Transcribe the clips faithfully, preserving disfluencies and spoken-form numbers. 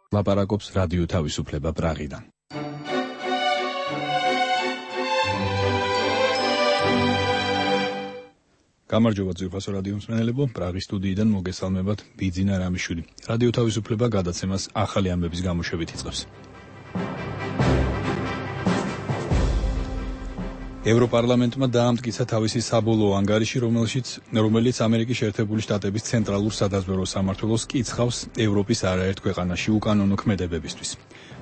ლაპარაკობს რადიო თავისუფლება პრაღიდან. გამარჯობა ძვირფასო რადიო მსმენელებო, პრაღის სტუდიიდან მოგესალმებათ ბიძინა რამიშვილი. რადიო თავისუფლება გადაცემას ახალი ამბების გამოშვებით იწყებს. ევროპარლამენტმა დაამტკიცა თავისი საბოლოო ანგარიში, რომელშიც რომელიც ამერიკის შეერთებული შტატების ცენტრალურ სადაზვერვო სამმართველოს კიცხავს ევროპის არაერთ ქვეყანაში უკანონო ქმედებებისთვის.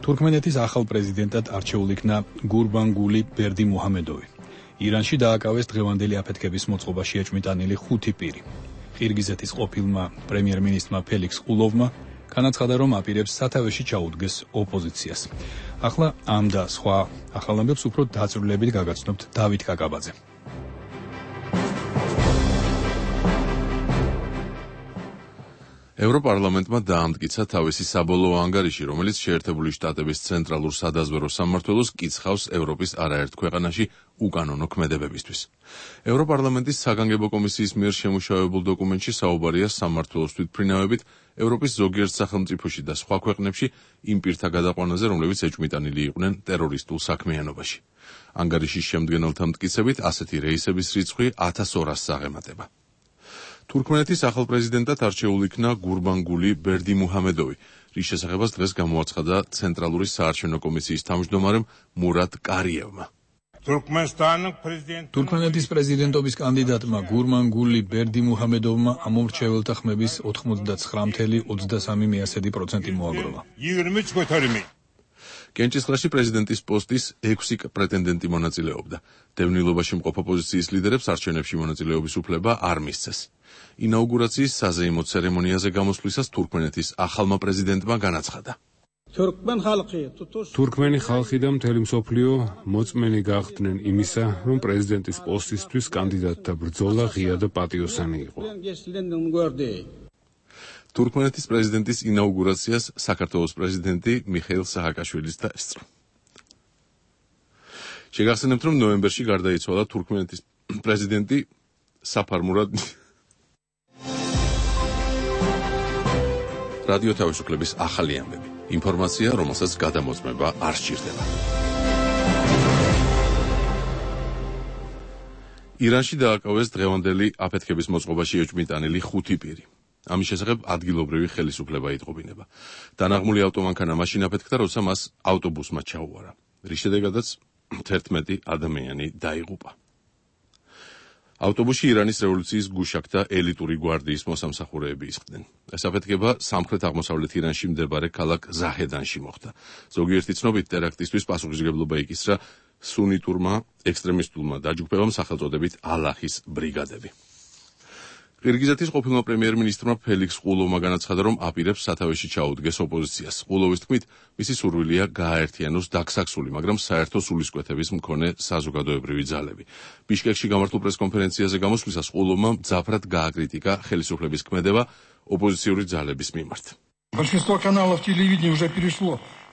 თურქმენეთის ახალ პრეზიდენტად არჩეულ იქნა გურბანგული ბერდიმუჰამედოვი. ირანში დააკავეს დღევანდელი აფეთქების მოწყობაში ეჭვმიტანილი ხუთი პირი. ყირგიზეთის ყოფილმა პრემიერ-მინისტრმა ფელიქს ყულოვმა განაცხადა, რომ აპირებს სათავეში ჩაუდგეს ოპოზიციას. ახლა ამ და სხვა ახალ ამბებს უფრო დაწვრილებით გაგაცნობთ დავით კაკაბაძე. ევროპარლამენტმა დაამტკიცა თავისი საბოლოო ანგარიში, რომელიც შეერთებული შტატების ცენტრალურ სადაზვერვო სამმართველოს კიცხავს ევროპის არაერთ ქვეყანაში უკანონო ქმედებებისთვის. ევროპარლამენტის საგანგებო კომისიის მიერ შემუშავებულ დოკუმენტში საუბარია სამმართველოს თვითმფრინავებით ევროპის ზოგიერთ სახელმწიფოში და სხვა ქვეყნებში იმ პირთა გადაყვანაზე, რომლებიც ეჭვმიტანილი იყვნენ ტერორისტულ საქმიანობაში. ანგარიშის შემდგენელთა მტკიცებით ასეთი რეისების რიცხვი ათას ორასს აღემატება. თურქმენეთის ახალ პრეზიდენტად არჩეულ იქნა გურბანგული ბერდიმუჰამედოვი, რის შესახებაც დღეს გამოაცხადა ცენტრალური საარჩევნო კომისიის თავმჯდომარემ მურატ კარიევმა. თურქმენეთის პრეზიდენტობის კანდიდატმა გურბანგული ბერდიმუჰამედოვმა ამომრჩეველთა ხმების ოცდაათი ოცდასამი ოცდაათი პროცენტი მოაგროვა. კენჭისყრაში პრეზიდენტის პოსტის ექვსი პრეტენდენტი მონაწილეობდა. დევნილობაში მყოფ ოპოზიციის ლიდერებს არჩევნებში მონაწილეობის უფლება არ მისცეს. ინაუგურაციის საზეიმო ცერემონიაზე გამოსვლისას თურქმენეთის ახალმა პრეზიდენტმა განაცხადა. თურქმენი ხალხი და მთელი მსოფლიო მოწმენი გახდნენ იმისა, რომ პრეზიდენტის პოსტისთვის კანდიდატთა ბრძოლა ღია და პატიოსანი იყო. თურქმენეთის პრეზიდენტის ინაუგურაციას საქართველოს პრეზიდენტი მიხეილ სააკაშვილის დაესწრო. შეგახსენებთ, რომ ნოემბერში გარდაიცვალა თურქმენეთის პრეზიდენტი საფარ მურად. რადიო თავისუფლების ახალი ამბები. ინფორმაცია, რომელსაც გადამოწმება არ სჭირდება. ირანში დააკავეს დღევანდელი აფეთქების მოწყობაში ეჭვმიტანილი ხუთი პირი. ამის შესახებ ადგილობრივი ხელისუფლება იტყობინება. დანაღმული ავტომანქანა მაშინ აფეთქდა, როცა მას ავტობუსმა ჩაუვარა, რის შედეგადაც თერთმეტი ადამიანი დაიღუპა. ავტობუსში ირანის რევოლუციის გუშაკთა ელიტური გვარდიის მოსამსახურეები ისხდნენ. ეს აფეთქება სამხრეთ-აღმოსავლეთ ირანში მდებარე ქალაქ ზაჰედანში მოხდა. ზოგიერთი ცნობით ტერაქტისთვის პასუხისმგებლობა იკისრა სუნიტურმა ექსტრემისტულმა დაჯგუფებამ სახელწოდებით ალაჰის ბრიგადები. ყირგიზეთის ყოფილმა პრემიერ-მინისტრმა ფელიქს ყულოვმა განაცხადა, რომ აპირებს სათავეში ჩაუდგეს ოპოზიციას. ყულოვის თქმით, მისი სურვილია გააერთიანოს დაგსაქსული, მაგრამ საერთო სულისკვეთების მქონე საზოგადოებრივი ძალები. ბიშკეკში გამართულ პრესკონფერენციაზე გამოსვლისას ყულოვმა მძაფრად გააკრიტიკა ხელისუფლების ქმედება ოპოზიციური ძალების მიმართ.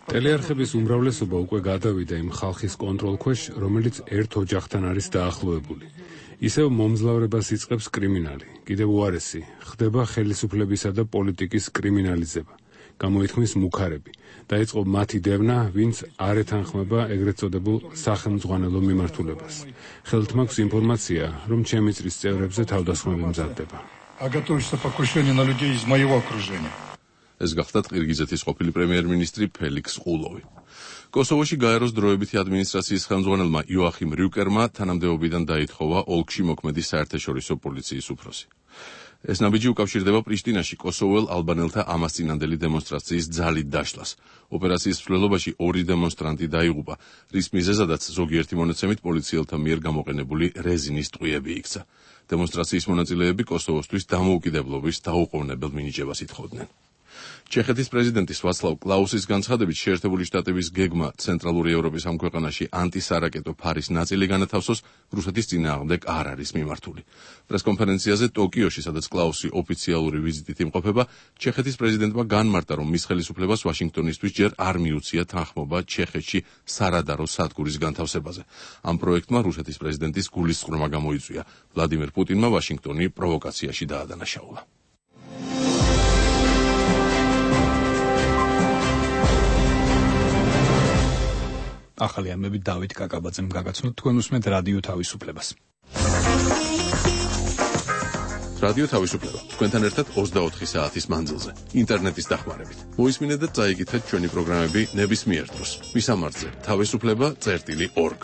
ტელეარხების უმრავლესობა უკვე გადავიდა იმ ხალხის კონტროლქვეშ, რომელიც ერთ ოჯახთან არის დაახლოებული. ისევ მომძლავრებას იწყებს კრიმინალი. კიდევ უარესი ხდება ხელისუფლებისა და პოლიტიკის კრიმინალიზება. გამოითქმის მუქარები. დაიწყო მათი დევნა, ვინც არ ეთანხმება ეგრეთ წოდებულ სახელმძღვანელო მიმართულებას. ხელთ მაქვს ინფორმაცია, რომ ჩემი წრის წევრებზე თავდასხმები მზადდება. ეს გახდათ ყირგიზეთის ყოფილი პრემიერ-მინისტრი ფელიქს ყულოვი. კოსოვოში გაეროს დროებითი ადმინისტრაციის ხელმძღვანელმა იოახიმ რიუკერმა თანამდებობიდან დაითხოვა ოლქში მოქმედი საერთაშორისო პოლიციის უფროსი. ეს ნაბიჯი უკავშირდება პრიშტინაში კოსოველ ალბანელთა ამასწინანდელი დემონსტრაციის ძალით დაშლას. ოპერაციის მსვლელობაში ორი დემონსტრანტი დაიღუპა, რის მიზეზადაც ზოგიერთი მონაცემით პოლიციელთა მიერ გამოყენებული რეზინის ტყვიები იქცა. დემონსტრაციის მონაწილეები კოსოვოსთვის დამოუკიდებლობის დაუყოვნებელ მინიჭებას ითხოვდნენ. ჩეხეთის პრეზიდენტის ვაცლავ კლაუსის განცხადებით შეერთებული შტატების გეგმა ცენტრალური ევროპის ამ ქვეყანაში ანტისარაკეტო ფარის ნაწილი განათავსოს რუსეთის წინააღმდეგ არ არის მიმართული. პრესკონფერენციაზე ტოკიოში, სადაც კლაუსი ოფიციალური ვიზიტით იმყოფება, ჩეხეთის პრეზიდენტმა განმარტა, რომ მის ხელისუფლებას ვაშინგტონისთვის ჯერ არ მიუცია თანხმობა ჩეხეთში სარადარო სადგურის განთავსებაზე. ამ პროექტმა რუსეთის პრეზიდენტის გულისწყრომა გამოიწვია. ვლადიმერ პუტინმა ვაშინგტონი პროვოკაციაში დაადანაშაულა. ახალი ამბები დავით კაკაბაძემ გაგაცნოთ, თქვენ უსმენთ რადიო თავისუფლებას. რადიო თავისუფლება თქვენთან ერთად ოცდაოთხი საათის მანძილზე ინტერნეტის დახმარებით. მოისმინეთ და წაიკითხეთ ჩვენი პროგრამები ნებისმიერ დროს. მისამართზე თავისუფლება წერტილი ორგ.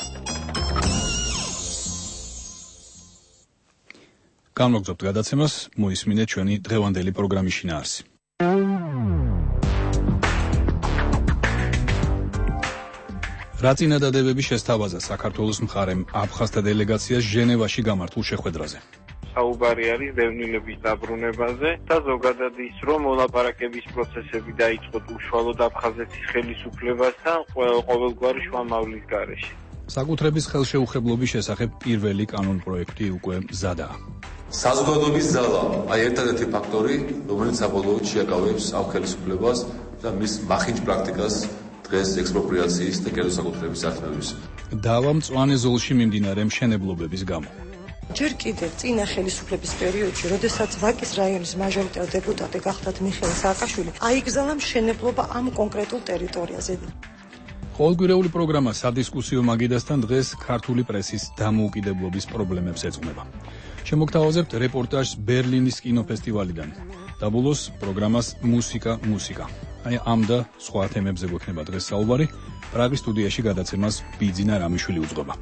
გამოგზავნებთ გადაცემას, მოისმინეთ ჩვენი დღევანდელი პროგრამის შინაარსი. რა წინადადებები შესთავაზა საქართველოს მხარემ აფხაზთა დელეგაციას ჟენევაში გამართულ შეხვედრაზე? საუბარი არის დევნილების დაბრუნებაზე და ზოგადად ის, რომ მოლაპარაკების პროცესები დაიწყოთ უშუალოდ აფხაზეთის ხელისუფლებასთან ყოველგვარი შუამავლის გარეშე. საკუთრების ხელშეუხებლობის შესახებ პირველი კანონპროექტი უკვე მზადაა. საზოგადოების ძალა, აი ერთადერთი ფაქტორი, რომელიც საბოლოოდ შეაკავებს ამ ხელისუფლებას და მის მახინჯ პრაქტიკას დღეს ექსპროპრიაციის და კერძო საკუთრების ართმევების. დავა მწვანე ზოლში მიმდინარე მშენებლობების გამო. ჯერ კიდევ წინა ხელისუფლების პერიოდში, როდესაც ვაკის რაიონის მაჟორიტარ დეპუტატი გახდათ მიხეილ სააკაშვილი, აიგზავნა მშენებლობა ამ კონკრეტულ ტერიტორიაზე. ყოველკვირეული პროგრამა სადისკუსიო მაგიდასთან დღეს ქართული პრესის დამოუკიდებლობის პრობლემებს ეძღვნება. შემოგთავაზებთ რეპორტაჟს ბერლინის კინოფესტივალიდან. და ბოლოს პროგრამას მუსიკა მუსიკა. აი ამ და სხვა თემებზე გვექნება დღეს საუბარი. პრაღის სტუდიაში გადაცემას ბიძინა რამიშვილი უძღვება.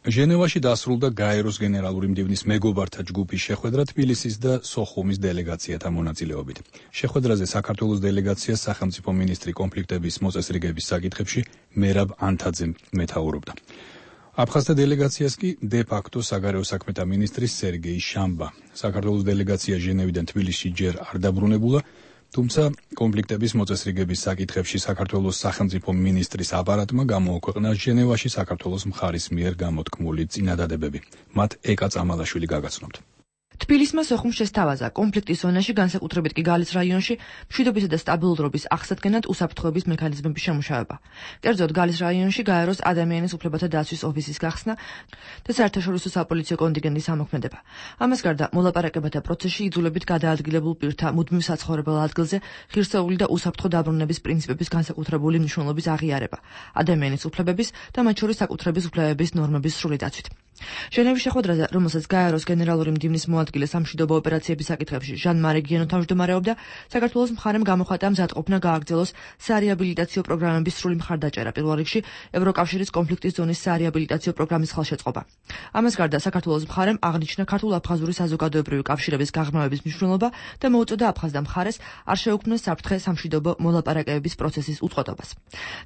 ჟენევაში დასრულდა გაეროს გენერალური მდივნის მეგობართა ჯგუფის შეხვედრა თბილისის და სოხუმის დელეგაციათა მონაწილეობით. შეხვედრაზე საქართველოს დელეგაციას სახელმწიფო მინისტრი კონფლიქტების მოწესრიგების საკითხებში მერაბ ანთაძემ მეთაურობდა. აფხაზთა დელეგაციას კი დე-ფაქტო საგარეო საქმეთა მინისტრი სერგეი შამბა. საქართველოს დელეგაცია ჟენევიდან თბილისში ჯერ არ დაბრუნებულა, თუმცა კონფლიქტების მოწესრიგების საკითხებში საქართველოს სახელმწიფო მინისტრის აპარატმა გამოაქვეყნა ჟენევაში საქართველოს მხარის მიერ გამოთქმული წინადადებები. მათ ეკა წამალაშვილი გაგაცნობთ. თბილისმა სოხუმს შესთავაზა კონფლიქტის ზონაში, განსაკუთრებით კი გალის რაიონში, მშვიდობისა და სტაბილურობის აღსადგენად უსაფრთხოების მექანიზმების შემუშავება. კერძოდ, გალის რაიონში გაეროს ადამიანის უფლებათა დაცვის ოფისის გახსნა და საერთაშორისო საპოლიციო კონტინგენტის ამოქმედება. ამას გარდა, მოლაპარაკებათა პროცესში იძულებით გადაადგილებულ პირთა მუდმივ საცხოვრებელ ადგილზე ღირსეული და უსაფრთხო დაბრუნების პრინციპების განსაკუთრებული მნიშვნელობის აღიარება, ადამიანის უფლებების და მათ შორის საკუთრების უფლებების ნორმების სრული დაცვით. ჟენევის შეხვედრაზე, რომელსაც გაეროს გენერალური მდივნის მოადგილე სამშვიდობო ოპერაციების საკითხებში ჟან-მარი გიენო თავმჯდომარეობდა, საქართველოს მხარემ გამოხატა მზადყოფნა გააგრძელოს სარეაბილიტაციო პროგრამების სრული მხარდაჭერა, პირველ რიგში ევროკავშირის კონფლიქტის ზონის სარეაბილიტაციო პროგრამის ხელშეწყობა. ამას გარდა, საქართველოს მხარემ აღნიშნა ქართულ-აფხაზური საზოგადოებრივი კავშირების გაღრმავების მნიშვნელობა და მოუწოდა აფხაზთა მხარეს არ შეუქმნეს საფრთხე სამშვიდობო მოლაპარაკებების პროცესის უწყობობას.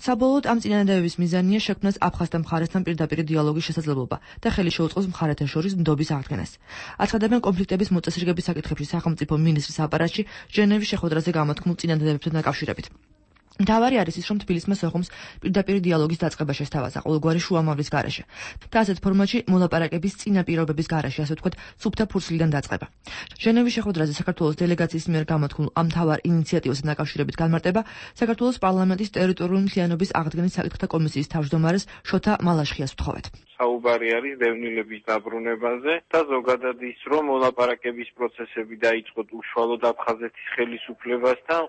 საბოლოოდ ამ წინადადებების მიზანია შექმნას აფხაზთა მხარესთან პირდაპირ დიალოგის შესაძლებლობა და ხელი შეუწყოს მხარეთა შორის ნდობის აღდგენას. აცხადებენ კონფლიქტების მოწესრიგების საკითხებში სახელმწიფო მინისტრის აპარატში ჟენევის შეხვედრაზე გამოთქმულ წინადადებებთან დაკავშირებით. მთავარი არის ის, რომ თბილისმა სოხუმს პირდაპირ დიალოგის დაწყება შესთავაზა ყოველგვარი შუამავლის გარეშე და ასეთ ფორმატში მოლაპარაკების წინა პირობების გარეშე, ასე ვთქვათ, სუფთა ფურცლიდან დაწყება. ჟენევის შეხვედრაზე საქართველოს დელეგაციის მიერ გამოთქმულ ამ მთავარ ინიციატივასთან დაკავშირებით განმარტება საქართველოს პარლამენტის ტერიტორიული მთლიანობის აღდგენის საკითხთა კომისიის თავმჯდომარეს შოთა მალაშხიას ვთხოვეთ. საუბარი არის დევნილების დაბრუნებაზე და ზოგადად ის, რომ მოლაპარაკების პროცესები დაიწყოთ უშუალოდ აფხაზეთის ხელისუფლებასთან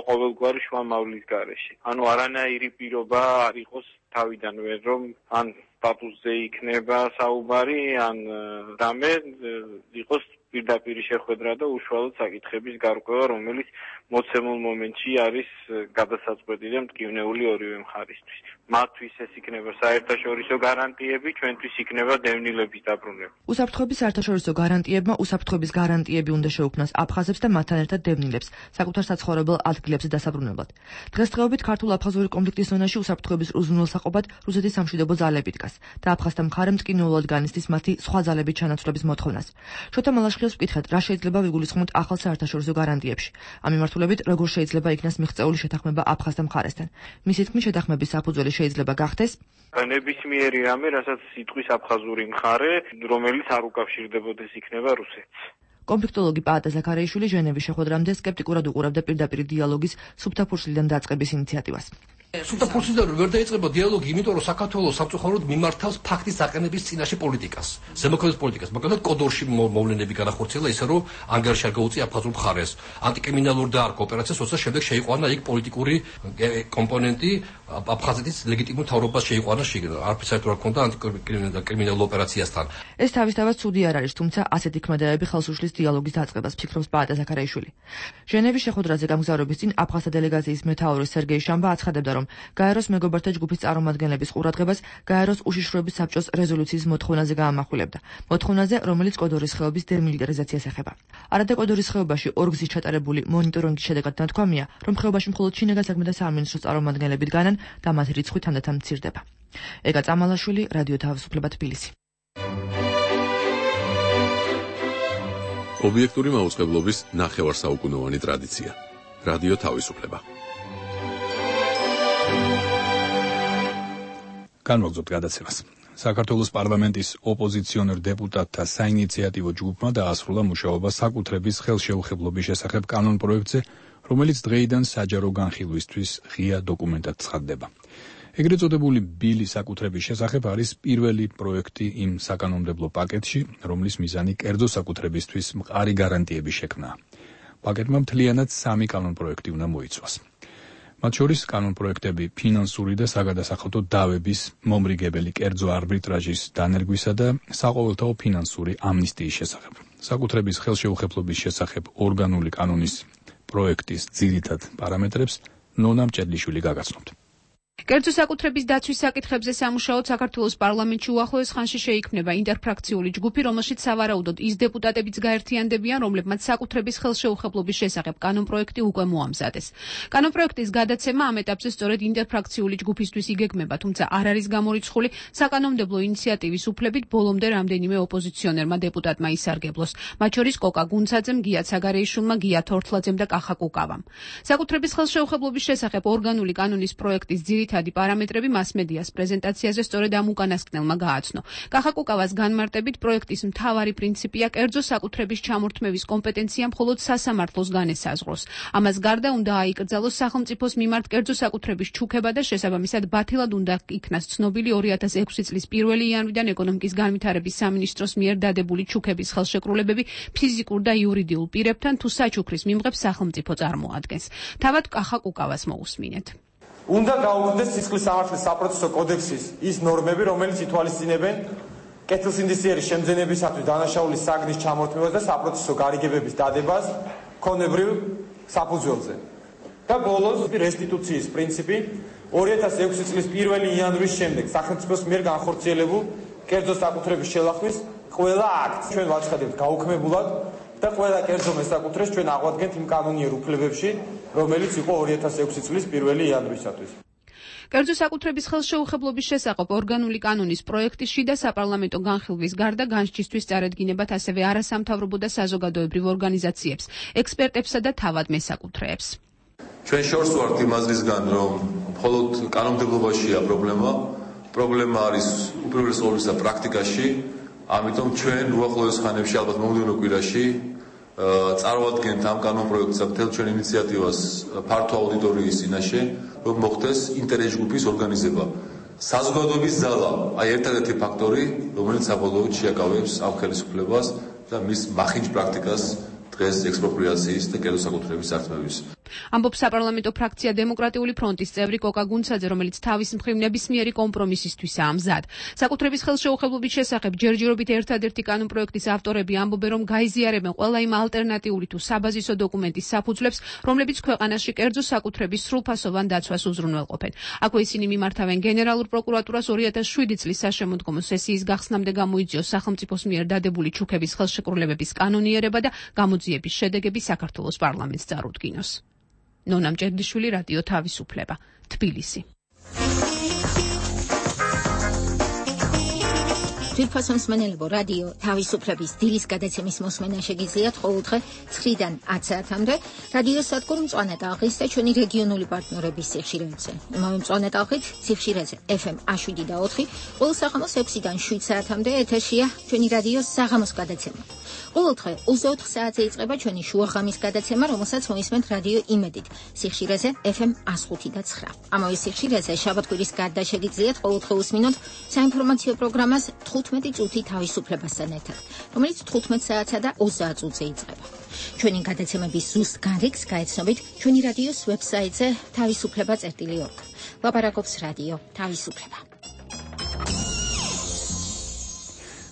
ყოველგვარი შუამავლის გარეშე. ანუ არანაირი პირობა არ იყოს თავიდანვე, რომ ან სტატუსზე იქნება საუბარი, ან რამე იყოს პირდაპირ შეხვედრა და უშუალოდ საკითხების გარკვევა, რომელიც მოცემულ მომენტში არის გადასაწყვეტი და მტკივნეული ორივე მხარისთვის. მათთვის ეს იქნება საერთაშორისო გარანტიები, ჩვენთვის იქნება დევნილების დაბრუნება. უსაფრთხოების საერთაშორისო გარანტიებმა უსაფრთხოების გარანტიები უნდა შეუქმნას აფხაზებს და მათთან ერთად დევნილებს საკუთარ საცხოვრებელ ადგილებზე დასაბრუნებლად. დღესდღეობით ქართულ-აფხაზური კონფლიქტის ზონაში უსაფრთხოების უზრუნველსაყოფად რუსეთის სამშვიდობო ძალები დგას და აფხაზთა მხარე მტკივნეულად განიცდის მათი სხვა ძალების ჩანაცვლების მოთხოვნას. შოთა მალაშხიას ვკითხეთ, რა შეიძლება ვიგულისხმოთ ახალ საერთაშორისო გარანტიებში. ამ მიმართულებით, როგორ შეიძლება იქნას მიღწეული შეთანხმება აფხაზთა მხარესთან. მისი თქმით, შეთანხმების საფუძველი შეიძლება გახდეს ნებისმიერი რამე, რასაც იტყვის აფხაზური მხარე, რომელიც არ უკავშირდებოდეს იქნება რუსეთს. კონფლიქტოლოგი პაატა ზაქარიაშვილი ჟენევის შეხვედრამდე სკეპტიკურად უყურებდა პირდაპირ დიალოგის სუფთა ფურცლიდან დაწყების ინიციატივას. სულთა ფურცლიდან ვერ დაიწყება დიალოგი, იმიტომ რომ საქართველოს სამწუხაროდ მიმართავს ფაქტის აყენების წინაშე პოლიტიკას, ზემოქმედის პოლიტიკას, მაგალითად კოდორში მოვლენები განახორციელა ისე რომ ანგარიში არ გაუწია აფხაზურ მხარეს, ანტიკრიმინალური დაარქვა ოპერაციას, როცა შემდეგ შეიყვანა იქ პოლიტიკური კომპონენტი, აფხაზეთის ლეგიტიმურ მთავრობას შეიყვანა შიგნ, არაფერს საერთოდ არ ჰქონდა ანტიკრიმინალურ ოპერაციასთან. ეს თავისთავად ცუდი არ არის, თუმცა ასეთი ქმედებები ხელს უშლის დიალოგის დაწყებას, ფიქრობს პაატა ზაქარაიშვილი. ჟენევის შეხვედრაზე გამგზავრების წინ აფხაზთა დელეგაციის მეთაური სერგეი შამბა აცხადებდა, რომ გაეროს მეგობართა ჯგუფის წარმომადგენლების ყურადღებას გაეროს უშიშროების საბჭოს რეზოლუციის მოთხოვნაზე გაამახვილებდა. მოთხოვნაზე, რომელიც კოდორის ხეობის დემილიტარიზაციას ეხება. არადა კოდორის ხეობაში ორ გზით ჩატარებული მონიტორინგის შედეგად ნათქვამია, რომ ხეობაში მხოლოდ შინაგან საქმეთა სამინისტროს წარმომადგენლები დგანან და მათი რიცხვი თანდათან მცირდება. ეგა წამალაშვილი, რადიო თავისუფლება, თბილისი. ობიექტური მაუწყებლობის ნახევარსაუკუნოვანი ტრადიცია. რადიო თავისუფლება. განვაგრძობთ გადაცემას. საქართველოს პარლამენტის ოპოზიციონერ დეპუტატთა საინიციატივო ჯგუფმა დაასრულა მუშაობა საკუთრების ხელშეუხებლობის შესახებ კანონპროექტზე, რომელიც დღეიდან საჯარო განხილვისთვის ღია დოკუმენტად ცხადდება. ეგრეთ წოდებული ბილი საკუთრების შესახებ არის პირველი პროექტი იმ საკანონმდებლო პაკეტში, რომლის მიზანი კერძო საკუთრებისთვის მყარი გარანტიების შექმნაა. პაკეტმა მთლიანად სამი კანონპროექტი უნდა მოიცვას. მათ შორის კანონპროექტები ფინანსური და საგადასახადო დავების, მომრიგებელი კერძო არბიტრაჟის დანერგვისა და საყოველთაო ფინანსური ამნისტიის შესახებ. საკუთრების ხელშეუხებლობის შესახებ ორგანული კანონის პროექტის ძირითად პარამეტრებს ნონა მჭედლიშვილი გაგაცნობთ. კერძო საკუთრების დაცვის საკითხებზე სამუშაოდ საქართველოს პარლამენტში უახლოეს ხანში შეიქმნება ინტერფრაქციული ჯგუფი, რომელშიც სავარაუდოდ ის დეპუტატებიც გაერთიანდებიან, რომლებმაც საკუთრების ხელშეუხებლობის შესახებ კანონპროექტი უკვე მოამზადეს. კანონპროექტის გადაცემა ამ ეტაპზე სწორედ ინტერფრაქციული ჯგუფისთვის იგეგმება, თუმცა არ არის გამორიცხული საკანონმდებლო ინიციატივის უფლებით ბოლომდე რამდენიმე ოპოზიციონერმა დეპუტატმა ისარგებლოს, მათ შორის კოკა გუნცაძემ, გია ცაგარეიშვილმა, გია თორთლაძემ და კახა კუკავამ. საკუთრების ხელშეუხებლობის შესახებ ორგანული კანონის პროექტის ძირითადი პარამეტრები მასმედიას პრეზენტაციაზე სწორედ ამ უკანასკნელმა გააცნო. კახა კუკავას განმარტებით პროექტის მთავარი პრინციპია კერძო საკუთრების ჩამორთმევის კომპეტენცია მხოლოდ სასამართლოს განესაზღვროს. ამას გარდა უნდა აიკრძალოს სახელმწიფოს მიმართ კერძო საკუთრების ჩუქება და შესაბამისად ბათილად უნდა იქნას ცნობილი ორი ათას ექვსი წლის პირველი იანვრიდან ეკონომიკის განვითარების სამინისტროს მიერ დადებული ჩუქების ხელშეკრულებები ფიზიკურ და იურიდიულ პირებთან თუ საჩუქრის მიმღებს სახელმწიფო წარმოადგენს. თავად კახა კუკავას მოусმინეთ. უნდა გაუქმდეს სისხლის სამართლის საპროცესო კოდექსის ის ნორმები, რომელიც ითვალისწინებენ კეთილსინდისიერი შემძენებისათვის დანაშაულის საგნის ჩამორთმევას და საპროცესო გარიგებების დადებას ქონებრივ საფუძველზე. და ბოლოს რესტიტუციის პრინციპი ორი ათას ექვსი წლის პირველი იანვრის შემდეგ სახელმწიფოს მიერ განხორციელებულ კერძო საკუთრების შელახვის ყველა აქტს ჩვენ ვაცხადებთ გაუქმებულად და ყველა კერძო მესაკუთრეს ჩვენ აღვადგენთ იმ კანონიერ უფლებებში, რომელიც იყო ორი ათას ექვსი წლის პირველი იანვრისათვის. კერძო საკუთრების ხელშეუხებლობის შესახებ ორგანული კანონის პროექტის შიდა საპარლამენტო განხილვის გარდა განსჯისთვის წარედგინებათ ასევე არასამთავრობო და საზოგადოებრივ ორგანიზაციებს, ექსპერტებსა და თავად მესაკუთრეებს. ჩვენ შორს ვართ იმ აზრისგან, რომ მხოლოდ კანონმდებლობაშია პრობლემა, პრობლემა არის უპირველეს ყოვლისა პრაქტიკაში, ამიტომ ჩვენ უახლოეს ხანებში ალბათ მომდევნო კვირაში წარვადგენთ ამ კანონპროექტსა მთელ ჩვენ ინიციატივას ფართო აუდიტორიის წინაშე, რომ მოხდეს ინტერეს ჯგუფის ორგანიზება. საზოგადოების ზალა, აი ერთადერთი ფაქტორი, რომელიც საბოლოოდ შეაკავებს ამ ხელისუფლებას და მის მახინჯ პრაქტიკას დღეს ექსპროპრიაციის და კერძო საკუთრების სარწმუნოების. ამბობს საპარლამენტო ფრაქცია დემოკრატიული ფრონტის წევრი კოკა გუნცაძე, რომელიც თავის მხრივ ნებისმიერი კომპრომისისთვისაა მზად. საკუთრების ხელშეუხებლობის შესახებ ჯერჯერობით ერთადერთი კანონპროექტის ავტორები ამბობენ, რომ გაიზიარებენ ყველა იმ ალტერნატიული თუ საბაზისო დოკუმენტის საფუძვლებს, რომლებიც ქვეყანაში კერძო საკუთრების სრულფასოვან დაცვას უზრუნველყოფენ. აქვე ისინი მიმართავენ გენერალურ პროკურატურას ორი ათას შვიდი წლის საშემოდგომო სესიის გახსნამდე გამოიწვიოს სახელმწიფოს მიერ დადებული ჩუქების ხელშეკრულებების კანონიერება და გამოძიების შედეგები საქართველოს პარლამენტს წარუდგინოს. ნონა მჭედლიშვილი, რადიო თავისუფლება, თბილისი. ძვირფასო მსმენელებო, რადიო თავისუფლების დილის გადაცემის მოსმენა შეგიძლიათ ყოველდღე ცხრიდან ათ საათამდე რადიო სადგურ მწვანე ტალღის და ჩვენი რეგიონული პარტნიორების სიხშირეებზე. იმავე მწვანე ტალღით სიხშირეზე ეფ ემ შვიდ და ოთხი, ყოველ საღამოს ექვსიდან შვიდ საათამდე ეთერშია ჩვენი რადიოს საღამოს გადაცემა. ყოველდღე ოცდაოთხ საათზე იწყება ჩვენი შუაღამის გადაცემა, რომელსაც მოისმენთ რადიო იმედით სიხშირეზე ეფ ემ ას ხუთი და ცხრა. ამავე სიხშირეზე შაბათ-კვირის გარდა შეგიძლიათ ყოველდღე უსმინოთ საინფორმაციო პროგრამას თხუთმეტი წუთი თავისუფლებასთან ერთად, რომელიც თხუთმეტ საათსა და ოცდაათ წუთზე იწყება. ჩვენი გადაცემების ზუსტ გარიგს გაეცნობით ჩვენი რადიოს ვებსაიტზე თავისუფლება წერტილი ორგ. ლაპარაკობს რადიო თავისუფლება.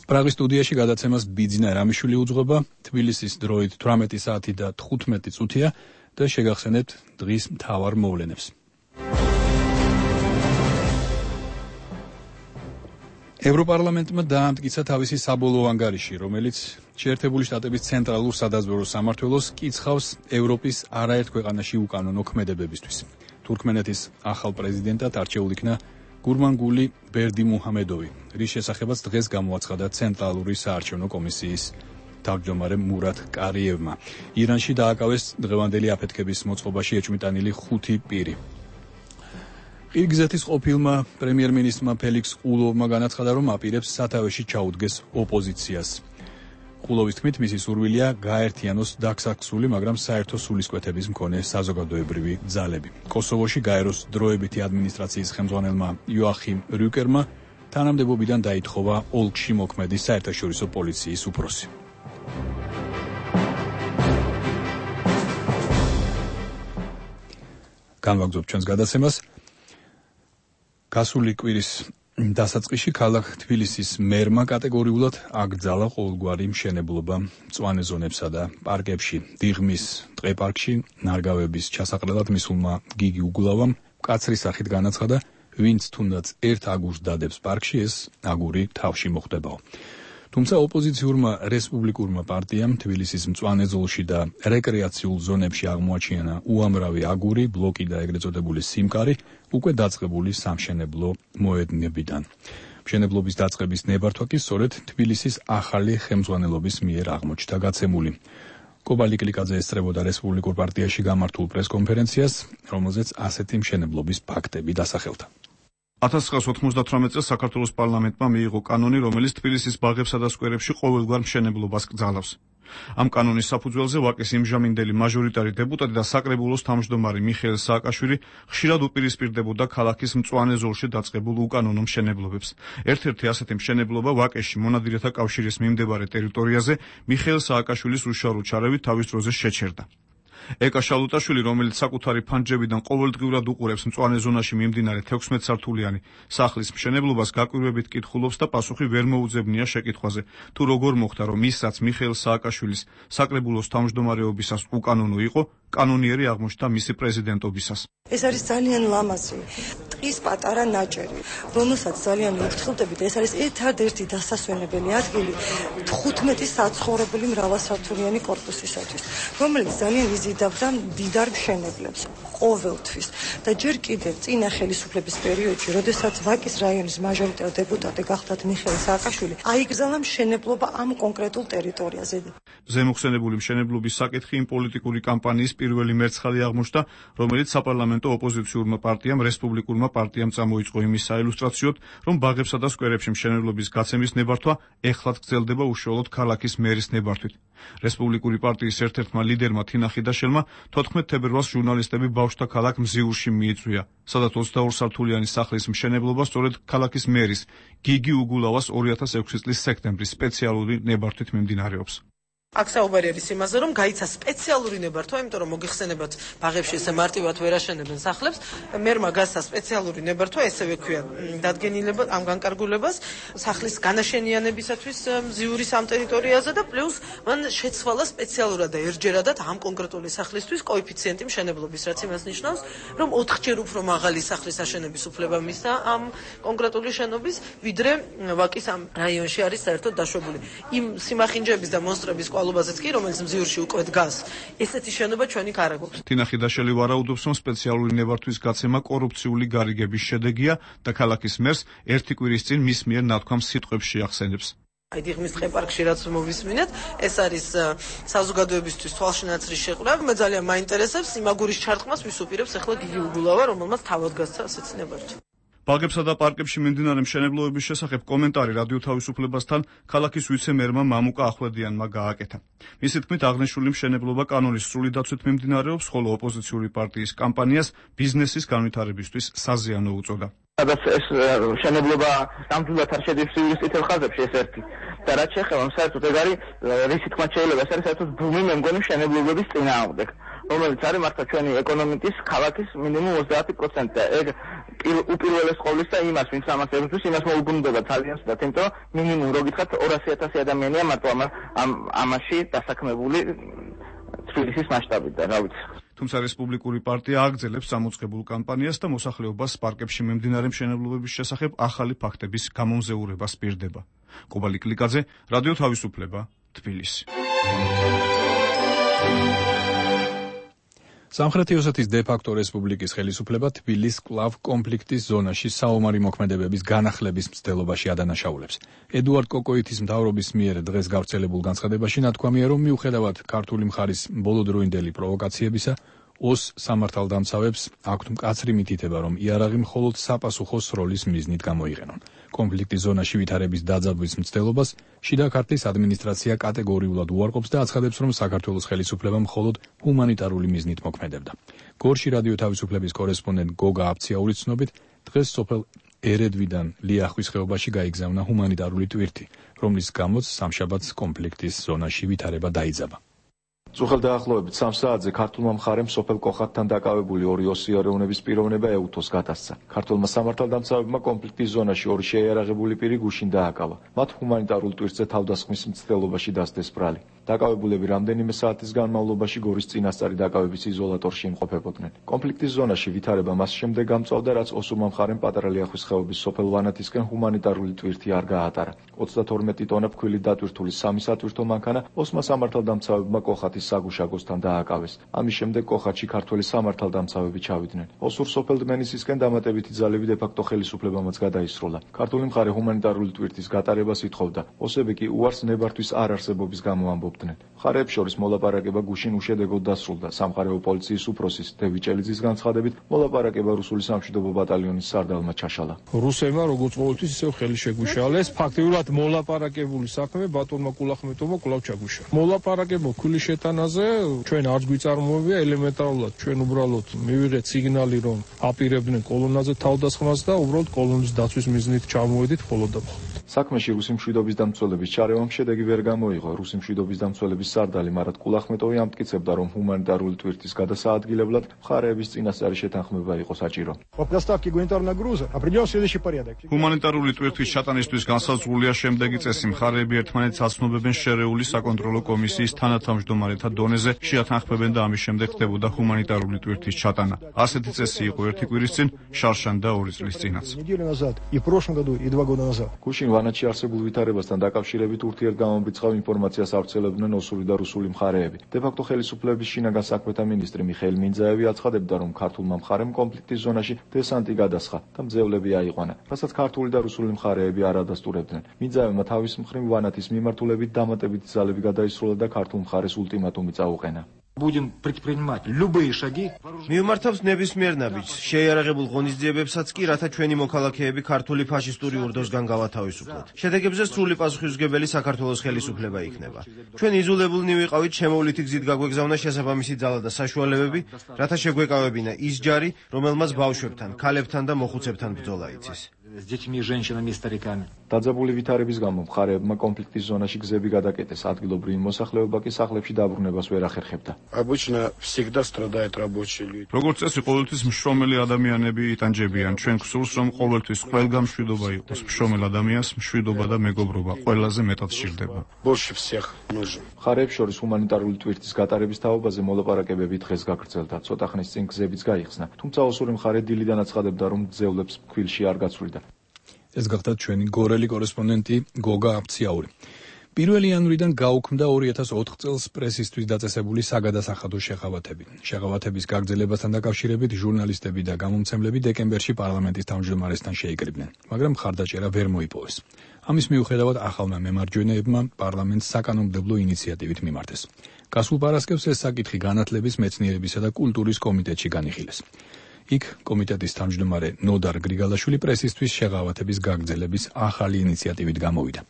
პრაღის სტუდიაში გადაცემას ბიძინა რამიშვილი უძღვება, თბილისის დროით თვრამეტი საათი და თხუთმეტი წუთია და შეგახსენებთ დღის მთავარ მოვლენებს. ევროპარლამენტმა დაამტკიცა თავისი საბოლოო ანგარიში, რომელიც შეერთებული შტატების ცენტრალურ სადაზვერვო სამმართველოს კიცხავს ევროპის არაერთ ქვეყანაში უკანონო ქმედებებისთვის. თურქმენეთის ახალ პრეზიდენტად არჩეულ იქნა გურმანგული ბერდი მუჰამედოვი, რის შესახებაც დღეს გამოაცხადა ცენტრალური საარჩევნო კომისიის თავმჯდომარე მურატ კარიევმა. ირანში დააკავეს დღევანდელი აფეთქების მოწყობაში ეჭვმიტანილი ხუთი პირი. ყირგიზეთის ყოფილმა პრემიერ-მინისტრმა ფელიქს ყულოვმა განაცხადა, რომ აპირებს სათავეში ჩაუდგეს ოპოზიციას. ყულოვის თქმით, მისი სურვილია გაერთიანოს დაქსაქსული, მაგრამ საერთო სულისკვეთების მქონე საზოგადოებრივი ძალები. კოსოვოში გაეროს დროებითი ადმინისტრაციის ხელმძღვანელმა იოახიმ რიუკერმა თანამდებობიდან დაითხოვა ოლქში მოქმედი საერთაშორისო პოლიციის უფროსი. განვაგრძობთ ჩვენს გადაცემას. გასული კვირის დასაწყისში ქალაქ თბილისის მერმა კატეგორიულად აკრძალა ყოველგვარი მშენებლობა მწვანე ზონებსა და პარკებში. დიღმის ტყეპარკში ნარგავების ჩასაყრელად მისულმა გიგი უგულავამ მკაცრი სახით განაცხადა, ვინც თუნდაც ერთ აგურს დადებს პარკში, ეს აგური თავში მოხდებაო. თუმცა ოპოზიციურმა რესპუბლიკურმა პარტიამ თბილისის მწვანე ზოლში და რეკრეაციულ ზონებში აღმოაჩინა უამრავი აგური, ბლოკი და ეგრეთ წოდებული სიმკარი უკვე დაწყებული სამშენებლო მოედნებიდან. მშენებლობის დაწყების ნებართვა კი სწორედ თბილისის ახალი ხელმძღვანელობის მიერ აღმოჩნდა გაცემული. კობალი კლიკაძე ესწრებოდა რესპუბლიკურ პარტიაში გამართულ პრესკონფერენციას, რომელზეც ასეთი მშენებლობის ფაქტები დასახელდა. ათას ცხრაასი ოთხმოცდათვრამეტ წელს საქართველოს პარლამენტმა მიიღო კანონი, რომელიც თბილისის ბაღებსა და სკვერებში ყოველგვარ მშენებლობას კრძალავს. ამ კანონის საფუძველზე ვაკის იმჟამინდელი მაჟორიტარი დეპუტატი და საკრებულოს თავმჯდომარე მიხეილ სააკაშვილი ხშირად უპირისპირდებოდა ქალაქის მწვანე ზოლში დაწყებულ უკანონო მშენებლობებს. ერთ-ერთი ასეთი მშენებლობა ვაკეში მონადირეთა კავშირის მიმდებარე ტერიტორიაზე მიხეილ სააკაშვილის უშუალო ჩარევით თავის დროზე შეჩერდა. ეკა შალუტაშვილი, რომელიც საკუთარი ფანჯრებიდან ყოველდღიურად უყურებს მწვანე ზონაში მიმდინარე თექვსმეტ სართულიანი სახლის მშენებლობას, გაკვირვებით კითხულობს და პასუხი ვერ მოუძებნია შეკითხვაზე, თუ როგორ მოხდა, რომ ის, რაც მიხეილ სააკაშვილის საკრებულოს თავმჯდომარეობისას უკანონო იყო, კანონიერი აღმოჩნდა მისი პრეზიდენტობისას. ეს არის ძალიან ლამაზი ტყის პატარა ნაჭერი, რომელსაც ძალიან ვიფრთხილდებით. ეს არის ერთადერთი დასასვენებელი ადგილი თხუთმეტი საცხოვრებელი მრავალსართულიანი კორპუსისათვის, რომელიც ძალიან იზიდავდა მდიდარ მშენებლებს ყოველთვის. და ჯერ კიდევ წინა ხელისუფლების პერიოდში, როდესაც ვაკის რაიონის მაჟორიტარ დეპუტატი გახდათ მიხეილ სააკაშვილი, აიგზავნა მშენებლობა ამ კონკრეტულ ტერიტორიაზე. ზემოხსენებული მშენებლობის საკითხი იმ პოლიტიკური კამპანიის პირველი მერცხალი აღმოჩნდა, რომელიც საპარლამენტო ოპოზიციურმა პარტიამ რესპუბლიკურმა პარტიამ წამოიწყო იმის საილუსტრაციოდ, რომ ბაღებსა და სკვერებში მშენებლობის გაცემის ნებართვა ეხლაც გრძელდება უშუალოდ ქალაქის მერის ნებართვით. რესპუბლიკური პარტიის ერთ-ერთმა ლიდერმა თინა ხიდაშელმა თოთხმეტ თებერვალს ჟურნალისტები ბავშვთა ქალაქ მზიურში მიიწვია, სადაც ოცდაორი სართულიანი სახლის მშენებლობა სწორედ ქალაქის მერის გიგი უგულავას ორი ათას ექვსი წლის სექტემბრის სპეციალური ნებართვით მიმდინარეობს. აქ საუბარი არის იმაზე, რომ გაიცა სპეციალური ნებართვა, იმიტომ რომ მოგიხსენებათ, ბაღებში ესე მარტივად ვერ აშენებენ სახლებს. მერმა გასცა სპეციალური ნებართვა, ესევე ქვია დადგენილება ამ განკარგულებას სახლის განაშენიანებისათვის მზიურის ამ ტერიტორიაზე და პლუს მან შეცვალა სპეციალურად და ერთჯერადად ამ კონკრეტული სახლისთვის კოეფიციენტი მშენებლობის, რაც იმას ნიშნავს, რომ ოთხჯერ უფრო მაღალი სახლის აშენების უფლება მისცა ამ კონკრეტული შენობის, ვიდრე ვაკის ამ რაიონში არის საერთოდ დაშვებული. იმ სიმახინჯების და მონსტრების მცდელობაზეც კი, რომელიც მზიურში უკვე დგას. ესეთი შენობა ჩვენი არ აქვს. თინა ხიდაშელი ვარაუდობს, რომ სპეციალური ნებართვის გაცემა კორუფციული გარიგების შედეგია და ქალაქის მერს ერთი კვირის წინ მის მიერ ნათქვამ სიტყვებს შეახსენებს. აი დიღმის ტყეპარკში რაც მოვისმინეთ, ეს არის საზოგადოებისთვის თვალშინაცრის შეყრა. მე ძალიან მაინტერესებს იმაგურის ჩარტყმას ვის უპირებს ახლა გიგი უგულავა, რომელმაც თავად გასცა ასეთი ნებართვა. ბაღებსა და პარკებში მიმდინარე მშენებლობების შესახებ კომენტარი რადიო თავისუფლებასთან ქალაქის ვიცე-მერმა მამუკა ახვლედიანმა გააკეთა. მისი თქმით, აღნიშნული მშენებლობა კანონის სრული დაცვით მიმდინარეობს, ხოლო ოპოზიციური პარტიის კამპანიას ბიზნესის განვითარებისთვის საზიანო უწოდა. სადაც ეს მშენებლობა ნამდვილად არ შედის ცივილის წითელ ხაზებში, ეს ერთი. და რაც შეეხება საერთოდ ეგ არის რისი თქმა შეიძლება, ეს არის საერთოდ ბუმი მე მგონი მშენებლობების წინააღმდეგ, რომელიც არის მართლა ჩვენი ეკონომიკის, ქალაქის მინიმუმ ოცდაათი პროცენტი და ეგ უპირველეს ყოვლისა იმას, ვინც ამას ებრძვის, იმას მოუბრუნდება ძალიან სწრაფად, იმიტომ რომ მინიმუმ რო გითხრათ ორასი ათასი ადამიანია მარტო ამ ამაში დასაქმებული თბილისის მასშტაბით და რა ვიცი. თუმცა რესპუბლიკური პარტია აგრძელებს სამოწყებულ კამპანიას და მოსახლეობას პარკებში მიმდინარე მშენებლობების შესახებ ახალი ფაქტების გამომზეურებას პირდება. კობალი კლიკაძე, რადიო თავისუფლება, თბილისი. სამხრეთი ოსეთის დე-ფაქტო რესპუბლიკის ხელისუფლება თბილისის კლავ კონფლიქტის ზონაში საომარი მოქმედებების განახლების მცდელობაში ადანაშაულებს. ედუარდ კოკოითის მთავრობის მიერ დღეს გავრცელებულ განცხადებაში ნათქვამია, რომ მიუხედავად ქართული მხარის ბოლოდროინდელი პროვოკაციებისა, ოს სამართალდამცავებს აქვთ მკაცრი მითითება, რომ იარაღი მხოლოდ საპასუხო სროლის მიზნით გამოიყენონ. კონფლიქტის ზონაში ვითარების დაძაბვის მცდელობას შიდა ქართლის ადმინისტრაცია კატეგორიულად უარყოფს და აცხადებს, რომ საქართველოს ხელისუფლება მხოლოდ ჰუმანიტარული მიზნით მოქმედებდა. გორში რადიო თავისუფლების კორესპონდენტ გოგა აბციაურის ცნობით, დღეს სოფელ ერედვიდან ლიახვის ხეობაში გაიგზავნა ჰუმანიტარული ტვირთი, რომლის გამოც სამშაბათს კონფლიქტის ზონაში ვითარება დაიძაბა. წუხელ დაახლოებით სამ საათზე ქართულმა მხარემ სოფელ კოხატთან დაკავებული ორი ოსი ეროვნების პიროვნება ეუთოს გადასცა. ქართულმა სამართალდამცავებმა კონფლიქტის ზონაში ორი შეიარაღებული პირი გუშინ დააკავა. მათ ჰუმანიტარულ ტვირთზე თავდასხმის მცდელობაში დასდეს ბრალი. დაკავებულები რამდენიმე საათის განმავლობაში გორის წინასწარი დაკავების იზოლატორში იმყოფებოდნენ. კონფლიქტის ზონაში ვითარება მას შემდეგ გამწვავდა, რაც ოსურმა მხარემ პატარა ლიახვის ხეობის სოფელ ვანათისკენ ჰუმანიტარული ტვირთი არ გაატარა. ოცდათორმეტი ტონა ფქვილი დატვირთული სამი სატვირთო მანქანა ოსმა სამართალდამცავებმა კოხატის საგუშაგოსთან დააკავეს. ამის შემდეგ კოხატში ქართველი სამართალდამცავები ჩავიდნენ. ოსურ სოფელ დმენისისკენ დამატებითი ძალები დე-ფაქტო ხელისუფლებამაც გადაისროლა. ქართული მხარე ჰუმანიტარული ტვირთის გატარებას ითხოვდა. ოსები კი უარს ნებართვის არ არსებობის გამო ამბობდნენ. მხარეებს შორის მოლაპარაკება გუშინ უშედეგოდ დასრულდა. სამხარეო პოლიციის უფროსის დევი ჭელიძის განცხადებით, მოლაპარაკება რუსული სამშვიდობო ბატალიონის სარდალმა ჩაშალა. რუსებმა როგორც ყოველთვის ისევ ხელი შეგვიშალეს, ფაქტიურად მოლაპარაკებული საქმე ბატონმა კულახმეტოვმა კვლავ ჩაგვიშალა. მოლაპარაკება ქულის შეტანაზე ჩვენ არც გვიწარმოებია ელემენტარულად, ჩვენ უბრალოდ მივიღეთ სიგნალი, რომ აპირებდნენ კოლონაზე თავდასხმას და უბრალოდ კოლონის დაცვის მიზნით ჩამოვედით მხოლოდ და მხოლოდ. საქმეში რუსი მშვიდობის დამცველების ჩარევამ შედეგი ვერ გამოიღო. რუსი მშვიდობის დამცველების სარდალი მარად კულახმეტოვი ამტკიცებდა, რომ ჰუმანიტარული ტვირთის გადასაადგილებლად მხარეების წინასწარი შეთანხმება იყო საჭირო. ჰუმანიტარული ტვირთვის ჩატანისთვის განსაზღვრულია შემდეგი წესი. მხარეები ერთმანეთს აცნობებენ შერეული საკონტროლო კომისიის თანათავმჯდომარეთა დონეზე, შეათანხმებენ და ამის შემდეგ ხდებოდა ჰუმანიტარული ტვირთის ჩატანა. ასეთი წესი იყო ერთი კვირის წინ, შარშან და ორი წლის წინაც. გუშინ ვანაჩი არსებულ ვითარებასთან დაკავშირებით ურთიერთგამომრიცხავ ინფორმაციას ავრცელებდნენ ოსური და რუსული მხარეები. დე-ფაქტო ხელისუფლების შინაგან საქმეთა მინისტრი მიხეილ მინძაევი აცხადებდა, რომ ქართულმა მხარემ კონფლიქტის ზონაში დესანტი გადასხა და მძევლები აიყვანა, რასაც ქართული და რუსული მხარეები არ ადასტურებდნენ. მინძაევმა თავის მხრივ ვანათის მიმართულებით დამატებითი ძალები გადაისროლა და ქართულ მხარეს ულტიმატუმი წაუყენა. Будем предпринимать любые шаги. Მიუმართავს ნებისმიერ ნაბიჯს, შეიარაღებულ ღონისძიებებსაც კი, რათა ჩვენი მოქალაქეები ქართული ფაშისტური ურდოსგან გავათავისუფლოთ. შედეგებზე სრული პასუხისმგებელი საქართველოს ხელისუფლება იქნება. ჩვენ იზოლებულნი ვიყავით, შემოვლითი გზით გაგვეგზავნა შესაბამისი ძალა და საშუალებები, რათა შეგვეკავებინა ის ჯარი, რომელმაც ბავშვებთან, ქალებთან და მოხუცებთან ბრძოლა იცის. С детьми, женщинами и стариками. დაძაბული ვითარების გამო მხარეებმა კონფლიქტის ზონაში გზები გადაკეტეს, ადგილობრივი მოსახლეობა კი სახლებში დაბრუნებას ვერ ახერხებდა. Обычно всегда страдают рабочие люди. როგორც წესი, ყოველთვის მშრომელი ადამიანები იტანჯებიან. ჩვენ გსურს, რომ ყოველთვის ყველგან მშვიდობა იყოს. მშრომელ ადამიანს მშვიდობა და მეგობრობა ყველაზე მეტად სჭირდება. Больше всех нужен. მხარეებს შორის ჰუმანიტარული ტვირთის გატარების თაობაზე მოლაპარაკებები დღეს გაგრძელდა. ცოტა ხნის წინ გზებიც გაიხსნა. თუმცა ოსური მხარე დილიდან აცხადებდა, რომ მძევლებს ფქვილში არ გაცვლიდა. ეს გახდა ჩვენი გორელი კორესპონდენტი გოგა აბციაური. პირველი იანვრიდან გაუქმდა ორი ათას ოთხ წელს პრესისთვის დაწესებული საგადასახადო შეღავათები. შეღავათების გაგრძელებასთან დაკავშირებით ჟურნალისტები და გამომცემლები დეკემბერში პარლამენტის თავმჯდომარესთან შეიკრიბნენ, მაგრამ მხარდაჭერა ვერ მოიპოვეს. ამის მიუხედავად ახალმა მემარჯვენეებმა პარლამენტს საკანონმდებლო ინიციატივით მიმართეს. გასულ პარასკევს ეს საკითხი განათლების, მეცნიერებისა და კულტურის კომიტეტში განიხილეს. იქ კომიტეტის თავმჯდომარე ნოდარ გრიგალაშვილი პრესისთვის შეღავათების გაგრძელების ახალი ინიციატივით გამოვიდა.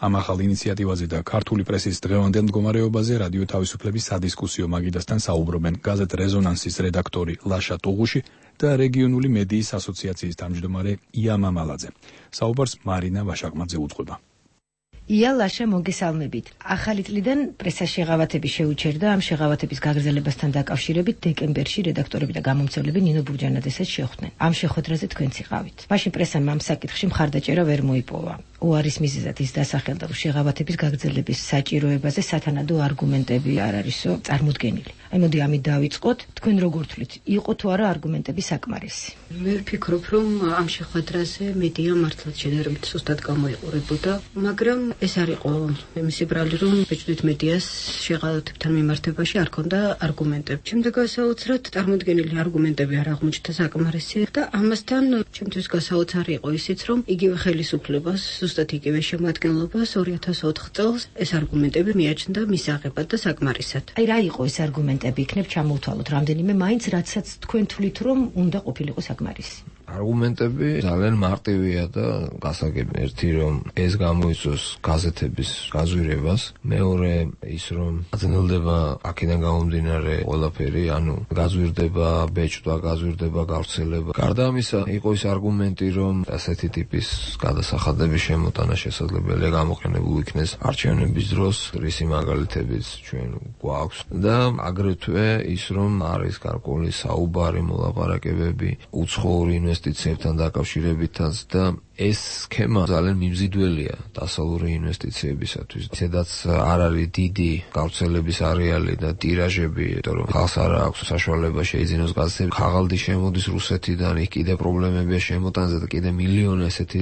ამ ახალ ინიციატივაზე და ქართული პრესის დღევანდელ მდგომარეობაზე რადიო თავისუფლების სადისკუსიო მაგიდასთან საუბრობენ გაზეთ რეზონანსის რედაქტორი ლაშა ტუღუში და რეგიონული მედიის ასოციაციის თავმჯდომარე ია მამალაძე. საუბარს მარინა ვაშაკმაძე უძღვება. ია ლაშა, მოგესალმებით. ახალი წლიდან პრესას შეღავათები შეუჩერდა. ამ შეღავათების გაგრძელებასთან დაკავშირებით დეკემბერში რედაქტორები და გამომცემლები ნინო ბურჯანაძესაც შეხვდნენ. ამ შეხვედრაზე თქვენც იყავით. მაშინ პრესამ ამ საკითხში მხარდაჭერა ვერ მოიპოვა. უარის მიზეზად ის დასახელდა, რომ შეღავათების გაგრძელების საჭიროებაზე სათანადო არგუმენტები არ არისო წარმოდგენილი. აი მოდი ამით დავიწყოთ. თქვენ როგორ თვლით, იყო თუ არა არგუმენტები საკმარისი? მე ვფიქრობ, რომ ამ შეხვედრაზე მედია მართლაც შედარებით სუსტად გამოიყურებოდა, მაგრამ ეს არ იყო მისი ბრალი, რომ ბეჭდვით მედიას შეღავათებთან მიმართებაში არ ქონდა არგუმენტები. შემდეგ გასაოცრად წარმოდგენილი არგუმენტები არ აღმოჩნდა საკმარისი და ამასთან ჩემთვის გასაოცარი იყო ისიც, რომ იგივე ხელისუფლებას, ზუსტად იგივე შემადგენლობას ორი ათას ოთხ წელს ეს არგუმენტები მიაჩნდა მისაღებად და საკმარისად. აი რა იყო ეს არგუმენტები? იქნებ ჩამოვთვალოთ რამდენიმე მაინც, რაცაც თქვენ თვლით, რომ უნდა ყოფილიყო საკმარისი. არგუმენტები ძალიან მარტივია და გასაგები. ერთი, რომ ეს გამოიწვევს გაზეთების გაზვირებას, მეორე ის, რომ აძნელდება აქედან გამომდინარე ყველაფერი, ანუ გაზვირდება ბეჭდვა, გაზვირდება გავრცელება. გარდა ამისა, იყო ის არგუმენტი, რომ ასეთი ტიპის გადასახადების შემოტანა შესაძლებელია გამოყენებულ იქნეს არჩევნების დროს, რისი მაგალითებიც ჩვენ გვაქვს და აგრეთვე ის, რომ არის გარკვეული საუბარი, მოლაპარაკებები უცხოური ინვესტიციებთან დაკავშირებითაც და ეს სქემა ძალიან მიმზიდველია დასავლური ინვესტიციებისათვის. ისედაც არ არის დიდი გავრცელების არეალი და ტირაჟები, იმიტომ რომ ხალხს არ აქვს საშუალება შეიძინოს გაზეთები. ხაღალდი შემოდის რუსეთიდან, იქ კიდე პრობლემებია შემოტანაზე და კიდე მილიონი ესეთი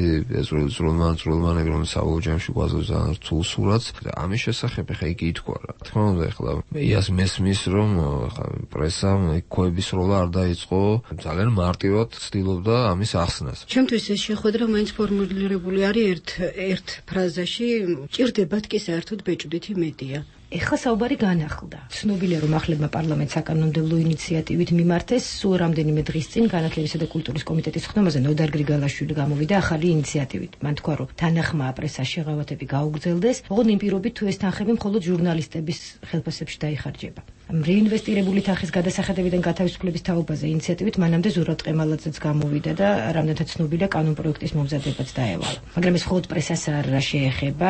ზრუნმან-ზრუნმანები, რომელიც საბოლოო ჯამში გვაძლევს ძალიან რთულ სურათს. ამის შესახებ ხა იგი ითქვა რა. თქმა უნდა, ეხლა მეიას მესმის, რომ ხა პრესამ იქოების როლა არ დაიწყო, ძალიან მარტივად ცდილობდა ამის ახსნას. ჩემთვის ეს შეხვედრა მაინც ფორმულირებული არის ერთ ერთ ფრაზაში, ჭირდებათ კი საერთოდ ბეჭდვითი მედია. ეხლა საუბარი განახლდა. ცნობილია, რომ ახლებმა პარლამენტს საკანონმდებლო ინიციატივით მიმართეს. სულ რამდენიმე დღის წინ განათლებისა და კულტურის კომიტეტის ხდომაზე ნოდარ გრიგალაშვილი გამოვიდა ახალი ინიციატივით. მან თქვა, რომ თანახმაა პრესას შეღავათები გაუგრძელდეს, ოღონდ იმ პირობით თუ ეს თანხები მხოლოდ ჟურნალისტების ხელფასებში დაიხარჯება. რეინვესტირებული თანხის გადასახადებიდან გათავისუფლების თაობაზე ინიციატივით მანამდე ზურაბ ყემალაძეც გამოვიდა და რამდენადაც ცნობილია კანონპროექტის მომზადებაც დაევალა. მაგრამ ეს მხოლოდ პრესას არ შეეხება,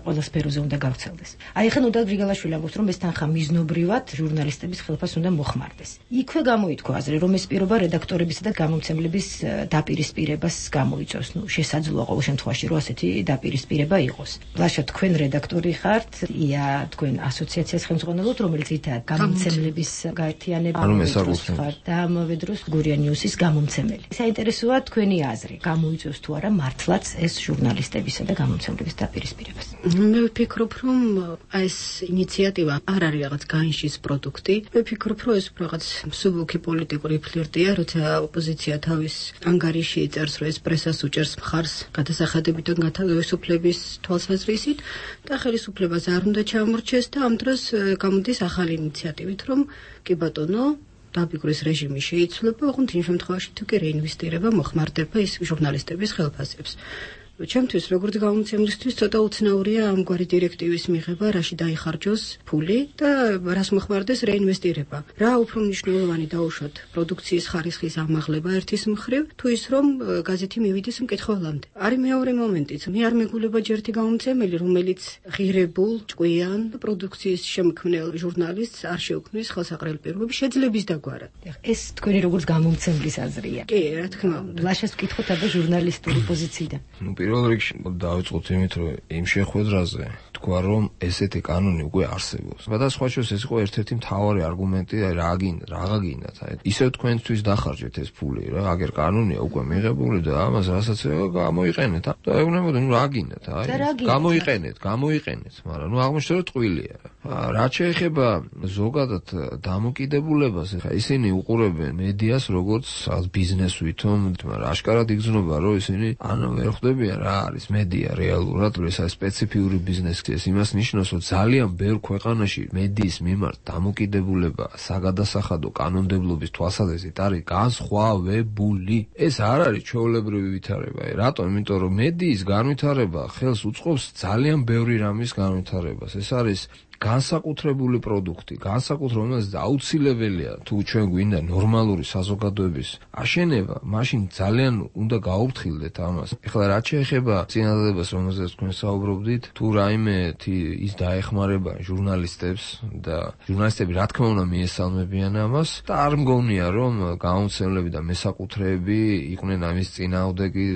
ყველა სფეროზე უნდა გავრცელდეს. აი ახლა ნოდარ გრიგალაშვილი ამბობს, რომ ეს თანხა მიზნობრივად ჟურნალისტების ხელფასს უნდა მოხმარდეს. იქვე გამოითქვა აზრი, რომ ეს პირობა რედაქტორებისა და გამომცემლების დაპირისპირებას გამოიწვევს. ნუ შესაძლოა ყოველ შემთხვევაში, რომ ასეთი დაპირისპირება იყოს. ლაშა, თქვენ რედაქტორი ხართ, ია თქვენ ასოციაციას ხელმძღვანელობთ, რომელიც ითაა გამომცემლების გაერთიანება ხართ და ამავე დროს გურია ნიუსის გამომცემელი. საინტერესოა თქვენი აზრი, გამოიწვევს თუ არა მართლაც ეს ჟურნალისტებისა და გამომცემლების დაპირისპირებას. მე ვფიქრობ, რომ ეს ინიციატივა არ არის რაღაც განშის პროდუქტი. მე ვფიქრობ, რომ ეს რაღაც მსუბუქი პოლიტიკური ფლირტია, როცა ოპოზიცია თავის ანგარიში წერს, რომ ეს პრესას უჭერს მხარს გადასახადებიდან გათავისუფლების თვალსაზრისით და ხელისუფლებას არ უნდა ჩამორჩეს და ამ დროს გამოდის ახალი ინიციატივით, რომ კი ბატონო, დაბიგრის რეჟიმი შეიცვლება, ოღონდ იმ შემთხვევაში თუ კი რეინვესტირება მოხმარდება ის ჟურნალისტების ხელფასებს. ჩემთვის როგორც გამომცემლისთვის ცოტა უცნაურია ამგვარი დირექტივის მიღება, რაში დაიხარჯოს ფული და რას მოხმარდეს რეინვესტირება. რა უფრო მნიშვნელოვანი დაუშვათ პროდუქციის ხარისხის ამაღლება ერთის მხრივ, თუ ის რომ გაზეთი მივიდეს მკითხველამდე. არის მეორე მომენტიც. მე არ მეგულება ჯერ ერთი გამომცემელი, რომელიც ღირებულ, ჭკვიან პროდუქციის შემქმნელ ჟურნალისტს არ შეუქმნის ხელსაყრელი პირობები შეძლების დაგვარად. ეს თქვენი როგორც გამომცემლის აზრია. კი, რა თქმა უნდა. ლაშას ვკითხოთ აბა ჟურნალისტური პოზიციიდან. პირველ რიგში დავიწყოთ იმით, რომ იმ შეხვედრაზე თქვა, რომ ესეთი კანონი უკვე არსებობს. და სხვა შორის ეს იყო ერთ-ერთი მთავარი არგუმენტი, აი რა გინდა, რა გინდათ, აი ისევ თქვენთვის დახარჯეთ ეს ფული რა, აგერ კანონია უკვე მიღებული და ამას რასაც გამოიყენეთ და ეუბნებოდი, ნუ რა გინდათ, აი გამოიყენეთ, გამოიყენეთ, მაგრამ ნუ აღმოჩნდა რომ ტყუილია რა. რაც შეეხება ზოგადად დამოკიდებულებას, ხა ისინი უყურებენ მედიას როგორც ბიზნეს ვითომ, მაგრამ აშკარად იგრძნობა რომ ისინი ან ვერ ხვდებიან რა არის მედია რეალურად, ეს არის სპეციფიური ბიზნესი, ეს იმას ნიშნავს, რომ ძალიან ბევრ ქვეყანაში მედიის მიმართ დამოკიდებულება საგადასახადო კანონმდებლობის თვალსაზრისით არის განსხვავებული. ეს არ არის ჩვეულებრივი ვითარება. რატომ? იმიტომ რომ მედიის განვითარება ხელს უწყობს ძალიან ბევრი რამის განვითარებას. ეს არის განსაკუთრებული პროდუქტი, განსაკუთრებული, რომელიც აუცილებელია თუ ჩვენ გვინდა ნორმალური საზოგადოების აშენება, მაშინ ძალიან უნდა გაუფრთხილდეთ ამას. ეხლა რაც შეეხება წინადადებას, რომელზეც თქვენ საუბრობდით, თუ რაიმე ის დაეხმარება ჟურნალისტებს და ჟურნალისტები რა თქმა უნდა მიესალმებიან ამას და არ მგონია რომ გამომცემლები და მესაკუთრეები იყვნენ ამის წინააღმდეგი.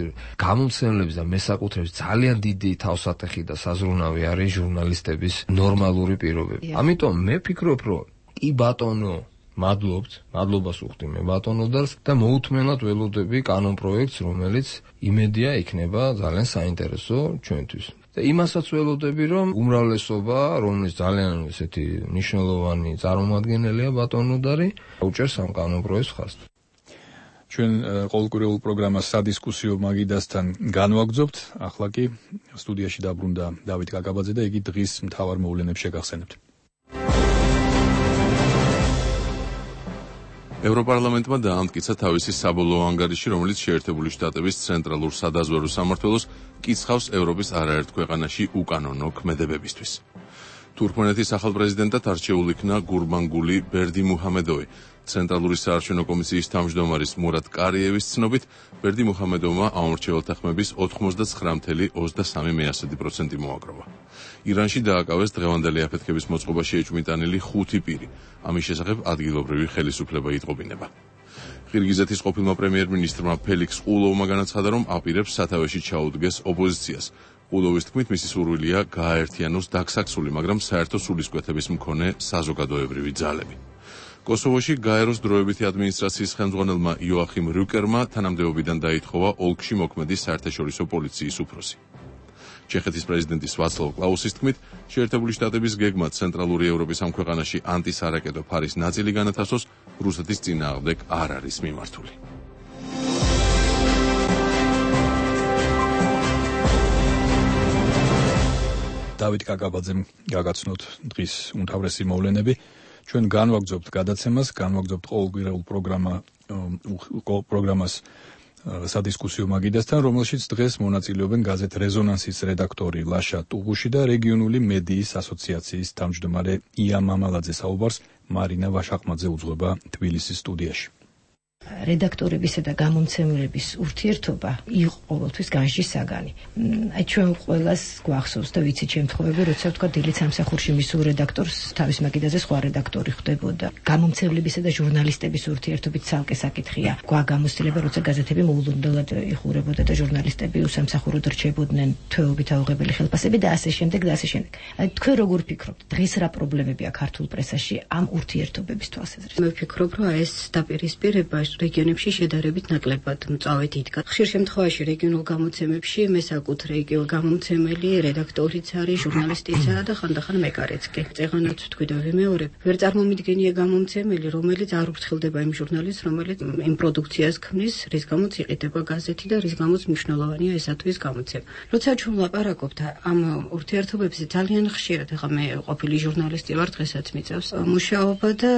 გამომცემლების და მესაკუთრეების ძალიან დიდი თავსატეხი და საზრუნავი არის ჟურნალისტების ნორმალური პირობები. ამიტომ მე ვფიქრობ, რომ კი ბატონო, მადლობთ, მადლობას ვუხდი მე ბატონოდას და მოუთმენად ველოდები კანონ პროექტს, რომელიც იმედია იქნება ძალიან საინტერესო ჩვენთვის. და იმასაც ველოდები, რომ უმრავლესობა, რომელიც ძალიან ესეთი მნიშვნელოვანი წარმომადგენელია ბატონოდარი, უჭერს ამ კანონ პროექტს ხაზს. ჩვენ ყოველკვირეულ პროგრამას სადისკუსიო მაგიდასთან განვაგრძობთ. ახლა კი სტუდიაში დაბრუნდა დავით კაკაბაძე და იგი დღის მთავარ მოვლენებს შეგახსენებთ. ევროპარლამენტმა დაამტკიცა თავისი საბოლოო ანგარიში, რომელიც შეერთებული შტატების ცენტრალურ სადაზვერვო სამმართველოს კიცხავს ევროპის არაერთ ქვეყანაში უკანონო ქმედებებისთვის. თურქმენეთის ახალ პრეზიდენტად არჩეულ იქნა გურბანგული ბერდიმუჰამედოვი. ცენტრალური საარჩევნო კომისიის თავმჯდომარის მურატ კარიევის ცნობით, ბერდიმუჰამედოვმა ამორჩეველთა ხმების ოთხმოცდათსამი წუთი ოცდასამი პროცენტი მოაგროვა. ირანში დააკავეს დღევანდელი აფეთქების მოწყობაში ეჭვმიტანილი ხუთი პირი. ამის შესახებ ადგილობრივი ხელისუფლება იტყობინება. ყირგიზეთის ყოფილმა პრემიერ-მინისტრმა ფელიქს ყულოვმა განაცხადა, რომ აპირებს სათავეში ჩაუდგეს ოპოზიციას. ყულოვის თქმით, მისი სურვილია გააერთიანოს დაქსაქსული, მაგრამ საერთო სულისკვეთების მქონე საზოგადოებრივი ძალები. კოსოვოში გაეროს დროებითი ადმინისტრაციის ხელმძღვანელმა იოახიმ რიუკერმა თანამდებობიდან დაითხოვა ოლქში მოქმედი საერთაშორისო პოლიციის უფროსი. ჩეხეთის პრეზიდენტის ვაცლავ კლაუსის თქმით, შეერთებული შტატების გეგმა ცენტრალური ევროპის ამ ქვეყანაში ანტისარაკეტო ფარის ნაწილი განათავსოს, რუსეთის წინააღმდეგ არ არის მიმართული. დავით კაკაბაძემ გაგაცნოთ დღის უმთავრესი მოვლენები. ჩვენ განვაგრძობთ გადაცემას, განვაგრძობთ ყოველკვირეულ პროგრამა პროგრამას სადისკუსიო მაგიდასთან, რომელშიც დღეს მონაწილეობენ გაზეთ რეზონანსის რედაქტორი ლაშა ტუღუში და რეგიონული მედიის ასოციაციის თავმჯდომარე ია მამალაძე. საუბარს მარინა ვაშაყმაძე უძღვება თბილისის სტუდიაში. რედაქტორებისა და გამომცემლების ურთიერთობა იყო ყოველთვის განში საგანი. აი ჩვენ ყველას გვახსოვს და ვიცით შემთხვევები, როცა ვთქვა დილით სამსახურში მისულ რედაქტორს თავის მაგიდაზე სხვა რედაქტორი ხვდებოდა. გამომცემლებისა და ჟურნალისტების ურთიერთობით ცალკე საკითხია. გვაგამოსtildeება, როცა გაზეთები მოულოდნელად იხურებოდა და ჟურნალისტები უსამსახუროდ რჩებოდნენ თვეობით აუღებელი ხელფასები და ასე შემდეგ და ასე შემდეგ. აი თქვენ როგორ ფიქრობთ, დღეს რა პრობლემებია ქართულ პრესაში ამ ურთიერთობების თვალსაზრისით? მე ვფიქრობ, რომ ეს დაპირისპირება რეგიონებში შედარებით ნაკლებად მწვავედ იდგა. ხშირ შემთხვევაში რეგიონულ გამოცემებში მესაკუთრე გამომცემელი რედაქტორიც არის, ჟურნალისტიცაა და ხანდახან მეკარეც კი. წეღანაც ვთქვი და ვიმეორებ, ვერ წარმომიდგენია გამომცემელი, რომელიც არ უფრთხილდება იმ ჟურნალისტს, რომელიც იმ პროდუქციას ქმნის, რის გამოც იყიდება გაზეთი და რის გამოც მნიშვნელოვანია ესათვის გამოცემა. როცა ჩვენ ვლაპარაკობთ ამ ურთიერთობებზე, ძალიან ხშირად, ეხლა მე ყოფილი ჟურნალისტი ვარ, დღესაც მიწევს მუშაობა და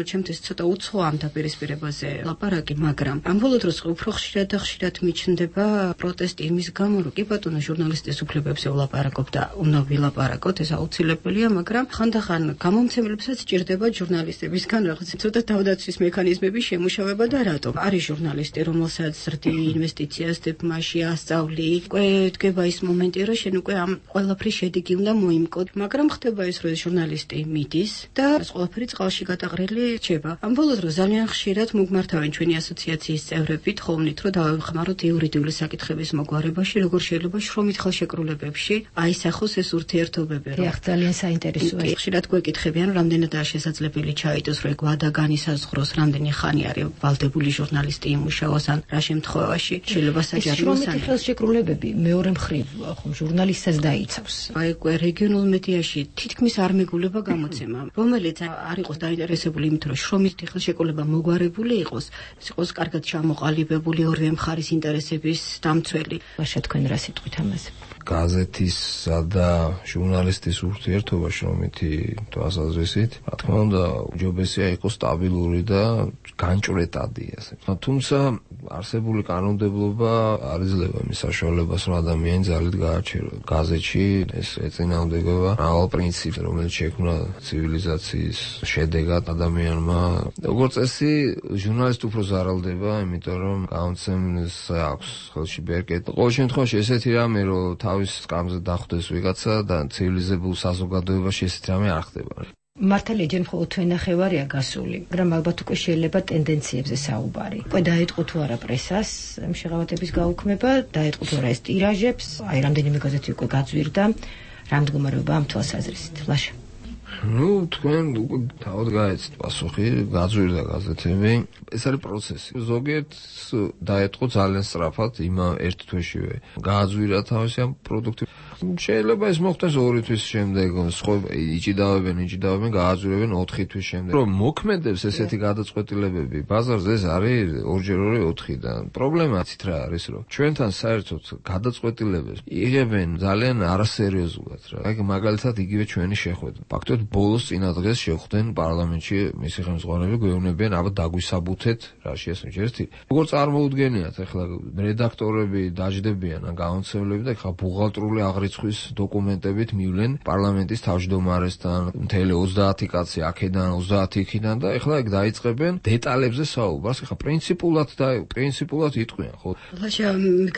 ჩემთვის ცოტა უცხო ამ დაპირისპირებაზე ლაპარაკი, მაგრამ ამ ბოლო დროს უფრო ხშირად და ხშირად მიჩნდება პროტესტი იმის გამო, რომ კი ბატონო ჟურნალისტის უფლებებზე ვლაპარაკობ და უნდა ვილაპარაკოთ, ეს აუცილებელია, მაგრამ ხანდახან გამომცემლებსაც ჭირდება ჟურნალისტებისგან რაღაც ცოტა თავდაცვის მექანიზმების შემუშავება და რატომ? არის ჟურნალისტი, რომელსაც ზრდი ინვესტიციას დებ-მასში ასწავლი, უკვე დგება ის მომენტი, რომ შენ უკვე ამ ყველაფრის შედეგი უნდა მოიმკოდ, მაგრამ ხდება ის, რომ ჟურნალისტი მიდის და ეს ყველაფერი წყალში გადაყრილი რჩება. ამ ბოლო დროს ძალიან ხშირად მოგმართავენ ჩვენი ასოციაციის წევრებით ხოვნით, რომ დავეხმაროთ იურიდიული საკითხების მოგვარებაში, როგორ შეიძლება შრომით ხელშეკრულებებში აისახოს ეს ურთიერთობები. დიახ, ძალიან საინტერესოა. ხშირად გვეკითხებიან, რამდენადაა შესაძლებელი ჩაიდოს, რომ გვადა განისაზღვროს, რამდენი ხანი არის ვალდებული ჟურნალისტი იმუშაოს, ან რა შემთხვევაში შეიძლება საჯარიმოს შრომითი ხელშეკრულებები მეორე მხრივ ხომ ჟურნალისტსაც დაიცავს. აი რეგიონულ მედიაში თითქმის არ მეგულება გამოცემა, რომელიც არ იყოს დაინტერესებული იმით, რომ შრომითი ხელშეკრულება მოგვარებული იყოს, ეს იყოს კარგად ჩამოყალიბებული ორივე მხარის ინტერესების დამცველი. ვაშა თქვენ რა სიტყვით ამაზე? გაზეთისა და ჟურნალისტის ურთიერთობა შრომითი თვალსაზრისით, რა თქმა უნდა, უჯობესია იყოს სტაბილური და განჭვრეტადი ასე. თუმცა არსებული კანონმდებლობა არ იძლევა იმის საშუალებას, რომ ადამიანი ძალით გააჩეროს. გაზეთში ეს ეწინააღმდეგება მრავალ პრინციპს, რომელიც შექმნა ცივილიზაციის შედეგად ადამიანმა. როგორც წესი, ჟურნალისტი უფრო ზარალდება, იმიტომ რომ გამოცემს აქვს ხელში ბერკეტი. ყოველ შემთხვევაში ესეთი რამე, რომ თავის სკამზე დახვდეს ვიღაცა და ცივილიზებულ საზოგადოებაში ესეთი რამე არ ხდება. მართალია ჯერ მხოლოდ თვენახევარია გასული, მაგრამ ალბათ უკვე შეიძლება ტენდენციებზე საუბარი. უკვე დაიწყო თუ არა პრესას შეღავათების გაუქმება, დაიწყო თუ არა ეს ტირაჟებს, აი რამდენიმე გაზეთი უკვე გაძვირდა, რა მდგომარეობა ამ თვალსაზრისით, ლაშა. ну, თქვენ უკვე თავად გაეცით პასუხი, გაძვირდა გაზეთები. ეს არის პროცესი. ზოგიერთს დაეწყო ძალიან სწრაფად, იმა ერთ თვეშივე გააძვირა თავისი ამ პროდუქტი. შეიძლება ეს მოხდეს ორი თვის შემდეგ, სხვა იჭიდავენ, იჭიდავენ, გააძვირებენ ოთხი თვის შემდეგ. რომ მოქმედებს ესეთი გადაწყვეტილებები, ბაზარზე ეს არის ორჯერ ორი ოთხი და პრობლემა იცით რა არის, რომ ჩვენთან საერთოდ გადაწყვეტილებებს იღებენ ძალიან არასერიოზულად რა. აი მაგალითად იგივე ჩვენი შეხვედრა. ფაქტობრივად ბოლოს წინა დღეს შეხვდნენ პარლამენტში მისი ხელმძღვანელები, გვეუბნებიან ალბათ დაგვისაბუთეთ რაში ეს ერთი. როგორ წარმოუდგენიათ ახლა რედაქტორები დაждდებიან ან გამომცემლები და ახლა ბუღალტრული აღრიცხვის დოკუმენტებით მივლენ პარლამენტის თავმჯდომარესთან, მთელი ოცდაათი კაცი აქედან, ოცდაათი იქიდან და ახლა ეგ დაიწყებენ დეტალებზე საუბარს. ახლა პრინციპულად და პრინციპულად იტყვიან, ხო? ლაშა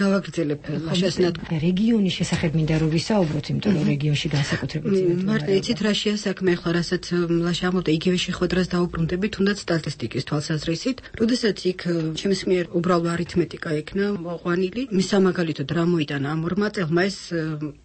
გავაგრძელებ ლაშას ნათქვამი. რეგიონის შესახებ მინდა რომ ვისაუბროთ, იმიტომ რომ რეგიონში განსაკუთრებით მარტო იცით რაშია საქმე, ახლა რასაც ლაშა ამბობდა, იგივე შეხვედრას დაუბრუნდებით, თუნდაც სტატისტიკის თვალსაზრისით, როდესაც იქ ჩემს მიერ უბრალო არითმეტიკა იქნა მოყვანილი, მის სამაგალითოდ რა მოიტანა ამ ორმა წელმა ეს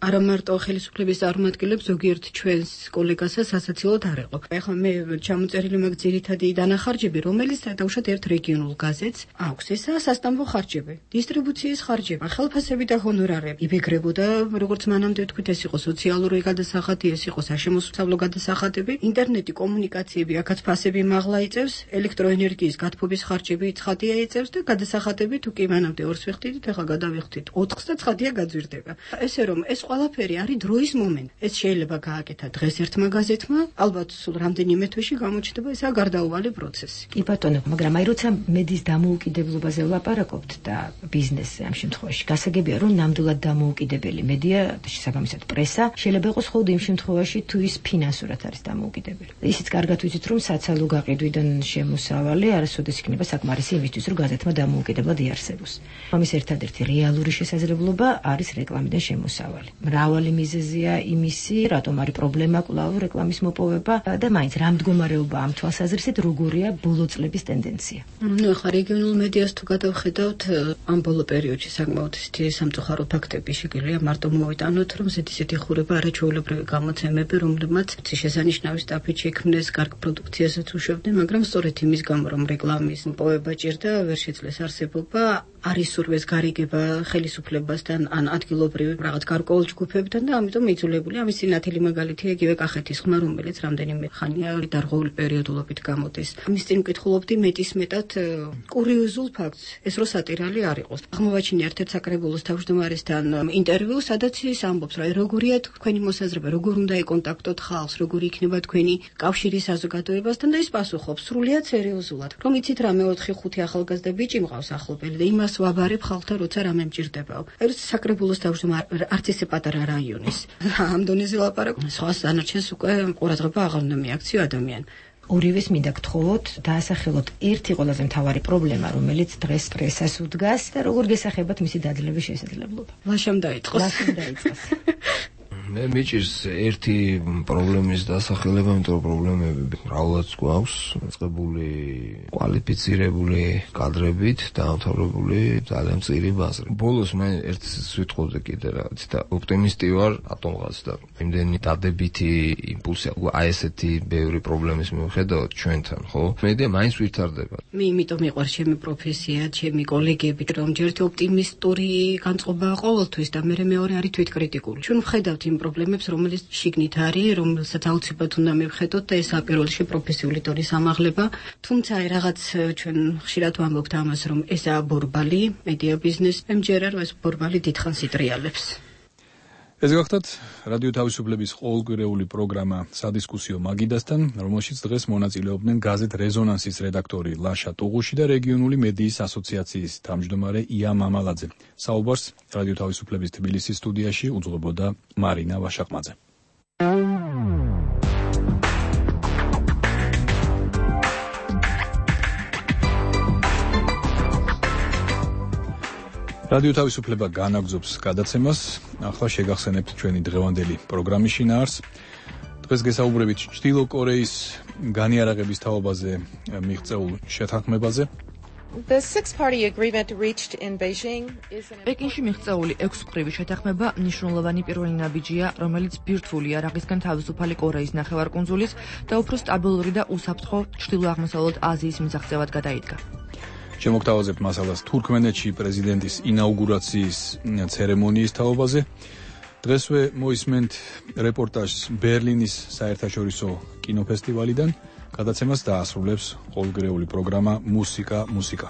არა მარტო ხელისუფლების წარმომადგენლებს, ზოგიერთ ჩვენს კოლეგასაც ასაცილოდ არ ეყო. ახლა მე ჩამოწერილი მაგ ძირითადი დანახარჯები, რომელიც დაუშვათ ერთ რეგიონულ გაზეთს აქვს, ესაა სასტამბო ხარჯები, დისტრიბუციის ხარჯები, ხელფასები და ჰონორარები. იბეგრებოდა, როგორც მანამდე თქვით, ეს იყო სოციალური გადასახადი, ეს იყო საშემოსავლო გადასახადები, ინტერნეტი, კომუნიკაციები, აქაც ფასები მაღლა იწევს, ელექტროენერგიის გათბობის ხარჯები ცხადია იწევს და გადასახადები თუ კი მანამდე ორს ვიხდით, ახლა გადავიხდით ოთხს და ცხადია გაძვირდება. ესე რომ ეს ყველაფერი არის დროის მომენტი. ეს შეიძლება გააკეთა დღეს ერთმა გაზეთმა, ალბათ სულ რამდენიმე თვეში გამოჩნდება ესა გარდაუვალი პროცესი. კი ბატონო, მაგრამ აი როცა მედიის დამოუკიდებლობაზე ვლაპარაკობთ და ბიზნესზე ამ შემთხვევაში, გასაგებია რომ ნამდვილად დამოუკიდებელი მედია, შესაბამისად პრესა, შეიძლება იყოს მხოლოდ იმ შემთხვევაში თუ ის ფინანსურად არის დამოუკიდებელი. ისიც კარგად ვიცით რომ საცალო გაყიდვიდან შემოსავალი არასოდეს იქნება საკმარისი იმისთვის რომ გაზეთმა დამოუკიდებლად იარსებოს. ამის ერთადერთი რეალური შესაძლებლობა არის რეკლამიდან შემოსავალი. მრავალი მიზეზია იმისი, რატომ არის პრობლემა კვლავ რეკლამის მოპოვება და მაინც რა მდგომარეობა ამ თვალსაზრისით როგორია ბოლო წლების ტენდენცია. ნუ ახლა რეგიონულ მედიას თუ გადავხედავთ, ამ ბოლო პერიოდში საკმაოდ ისეთი სამწუხარო ფაქტები შეგიძლია მარტო მოვიტანოთ, რომ ზედიზედი ხურება არაჩვეულებრივი გამოცემები, რომლებმაც შესანიშნავი სტაფით შექმნეს, კარგ პროდუქციასაც უშვებდნენ, მაგრამ სწორედ იმის გამო, რომ რეკლამის მოპოვება ჭირდა, ვერ შეძლეს არსებობა, არის სურვეს გარიგება ხელისუფლებასთან ან ადგილობრივი რაღაც გარკვეულ ჯგუფებთან და ამიტომ იძულებული ამის ნათელი მაგალითია იგივე კახეთის ხმა, რომელიც რამდენიმე ხანია დარღვეული პერიოდულობით გამოდის. ამის წინ ვკითხულობდი მეტისმეტად კურიოზულ ფაქტს, ეს რო სატირალი არ იყოს. აღმოვაჩინე ერთ-ერთ საკრებულოს თავმჯდომარესთან ინტერვიუ, სადაც ის ამბობს, რომ როგორია თქვენი მოსაზრება, როგორ უნდა ეკონტაქტოთ ხალხს, როგორი იქნება თქვენი კავშირი საზოგადოებასთან და ის პასუხობს სრულიად სერიოზულად, რომ იცით რა მე ოთხი ხუთი ახალგაზრდა ბიჭი მყავს ახლობელი და იმას ვაბარებ ხალხთან, როცა რამე მჭირდებაო. ეს საკრებულოს თავმჯდომარე არც ისე პატარა რაიონის. ამ დონეზე ლაპარაკ, სხვა დანარჩენს უკვე ყურადღება აღარ უნდა მიაქციო ადამიანი. ორივეს მინდა გთხოვოთ, დაასახელოთ ერთი ყველაზე მთავარი პრობლემა, რომელიც დღეს პრესას უდგას და როგორ გესახებათ მისი დაძლევის შესაძლებლობა. ლაშამ დაიწყოს. ლაშამ დაიწყოს. მე მიჭირს ერთი პრობლემის დასახელება, იმიტომ რომ პრობლემები მრავლად გვაქვს, წყებული კვალიფიცირებული კადრებით, დაამთავრებული ძალიან მწირი ბაზრი. ბოლოს მე ერთ სიტყვაზე კიდე რაღაც და ოპტიმისტი ვარ ატომღაც და იმდენი დადებითი იმპულსი აი ესეთი ბევრი პრობლემის მიუხედავად ჩვენთან, ხო? მედია მაინც ვითარდება. მე იმიტომ მიყვარს ჩემი პროფესია, ჩემი კოლეგები, რომ ჯერ ოპტიმისტური განწყობაა ყოველთვის და მე მეორე არის თვითკრიტიკული. ჩვენ ვხედავთ იმ პრობლემებს, რომელიც შიგნით არის, რომელსაც აუცილებლად უნდა მივხედოთ და ეს პირველ რიგში პროფესიული დონის ამაღლება. თუმცა რაღაც ჩვენ ხშირად ვამბობთ ამას, რომ ესაა ბორბალი, მედია ბიზნესი, მე მჯერა რომ ეს ბორბალი დიდხანს იტრიალებს. ეს გახლავთ რადიო თავისუფლების ყოველკვირეული პროგრამა სადისკუსიო მაგიდასთან, რომელშიც დღეს მონაწილეობდნენ გაზეთ რეზონანსის რედაქტორი ლაშა ტუღუში და რეგიონული მედიის ასოციაციის თავმჯდომარე ია მამალაძე. საუბარს რადიო თავისუფლების თბილისის სტუდიაში უძღვებოდა მარინა ვაშაყმაძე. რადიო თავისუფლება განაგზობს გადაცემას. ახლა შეგახსენებთ ჩვენი დღევანდელი პროგრამის შინაარსს. დღეს გესაუბრებით ჩრდილო კორეის განიარაღების თაობაზე მიღწეულ შეთანხმებაზე. The six-party agreement reached in Beijing is an პეკინში მიღწეული ექვსმხრივი შეთანხმება მნიშვნელოვანი პირველი ნაბიჯია, რომელიც ბირთვული იარაღისგან თავისუფალი კორეის ნახევარკუნძულის და უფრო სტაბილური და უსაფრთხო ჩრდილო-აღმოსავლეთ აზიის მისაღწევად გადაიდგა. შემოგთავაზებთ მასალას თურქმენეთში პრეზიდენტის ინაუგურაციის ცერემონიის თაობაზე. დღესვე მოისმენთ რეპორტაჟს ბერლინის საერთაშორისო კინოფესტივალიდან. გადაცემას დაასრულებს ყოველკვირეული პროგრამა მუსიკა მუსიკა.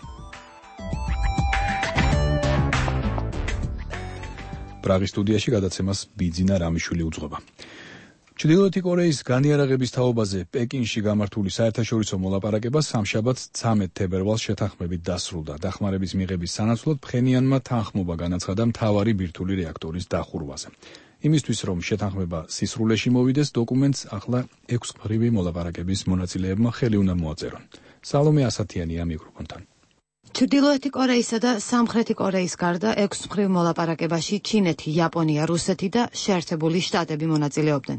პრაღის სტუდიაში გადაცემას ბიძინა რამიშვილი უძღვება. ჩრდილოეთი კორეის განიარაღების თაობაზე პეკინში გამართული საერთაშორისო მოლაპარაკება სამშაბათს ცამეტ თებერვალს შეთანხმებით დასრულდა. დახმარების მიღების სანაცვლოდ ფხენიანმა თანხმობა განაცხადა მთავარი ბირთვული რეაქტორის დახურვაზე. იმისთვის რომ შეთანხმება სისრულეში მოვიდეს, დოკუმენტს ახლა ექვსმხრივი მოლაპარაკების მონაწილეებმა ხელი უნდა მოაწერონ. სალომე ასათიანია მიკროფონთან. ჩრდილოეთი კორეისა და სამხრეთი კორეის გარდა ექვსმხრივ მოლაპარაკებაში ჩინეთი, იაპონია, რუსეთი და შეერთებული შტატები მონაწილეობდნენ.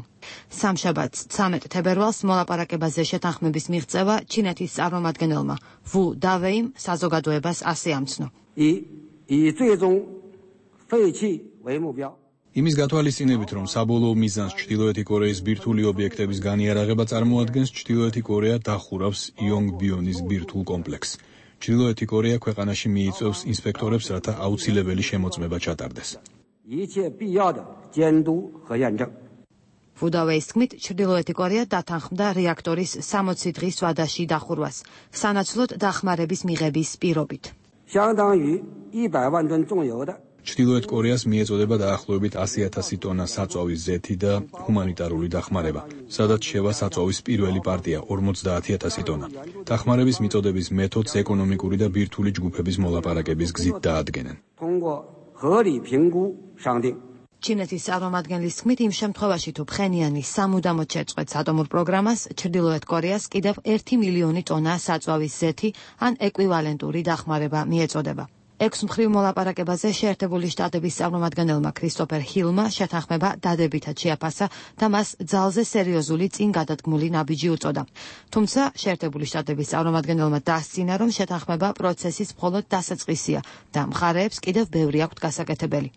სამშაბათს ცამეტ თებერვალს მოლაპარაკებაზე შეთანხმების მიღწევა ჩინეთის წარმომადგენელმა ვუ დავეიმ საზოგადოებას ასე ამცნო. იმის გათვალისწინებით, რომ საბოლოო მიზანს ჩრდილოეთი კორეის ბირთვული ობიექტების განიარაღება წარმოადგენს, ჩრდილოეთი კორეა დახურავს იონგბიონის ბირთვულ კომპლექსს. ჩრდილოეთი კორეა ქვეყანაში მიიწვევს ინსპექტორებს, რათა აუცილებელი შემოწმება ჩატარდეს. ვუდავეის თქმით, ჩრდილოეთი კორეა დათანხმდა რეაქტორის სამოცი დღის ვადაში დახურვას, სანაცვლოდ დახმარების მიღების პირობით. ჩრდილოეთ კორეას მიეწოდება დაახლოებით ასი ათასი ტონა საწვავის ზეთი და ჰუმანიტარული დახმარება, სადაც შევა საწვავის პირველი პარტია ორმოცდაათი ათასი ტონა. დახმარების მიწოდების მეთოდს ეკონომიკური და ბირთვული ჯგუფების მოლაპარაკების გზით დაადგენენ. ჩინეთის წარმომადგენლის თქმით, იმ შემთხვევაში თუ ფხენიანი სამუდამოდ შეწყვეტს ატომურ პროგრამას, ჩრდილოეთ კორეას კიდევ ერთი მილიონი ტონა საწვავის ზეთი ან ეკვივალენტური დახმარება მიეწოდება. ექვსმხრივ მოლაპარაკებაზე შეერთებული შტატების წარმომადგენელმა ქრისტოფერ ჰილმა შეთანხმება დადებითად შეაფასა და მას ძალზე სერიოზული წინ გადადგმული ნაბიჯი უწოდა. თუმცა შეერთებული შტატების წარმომადგენელმა დასცინა, რომ შეთანხმება პროცესის მხოლოდ დასაწყისია და მხარეებს კიდევ ბევრი აქვთ გასაკეთებელი.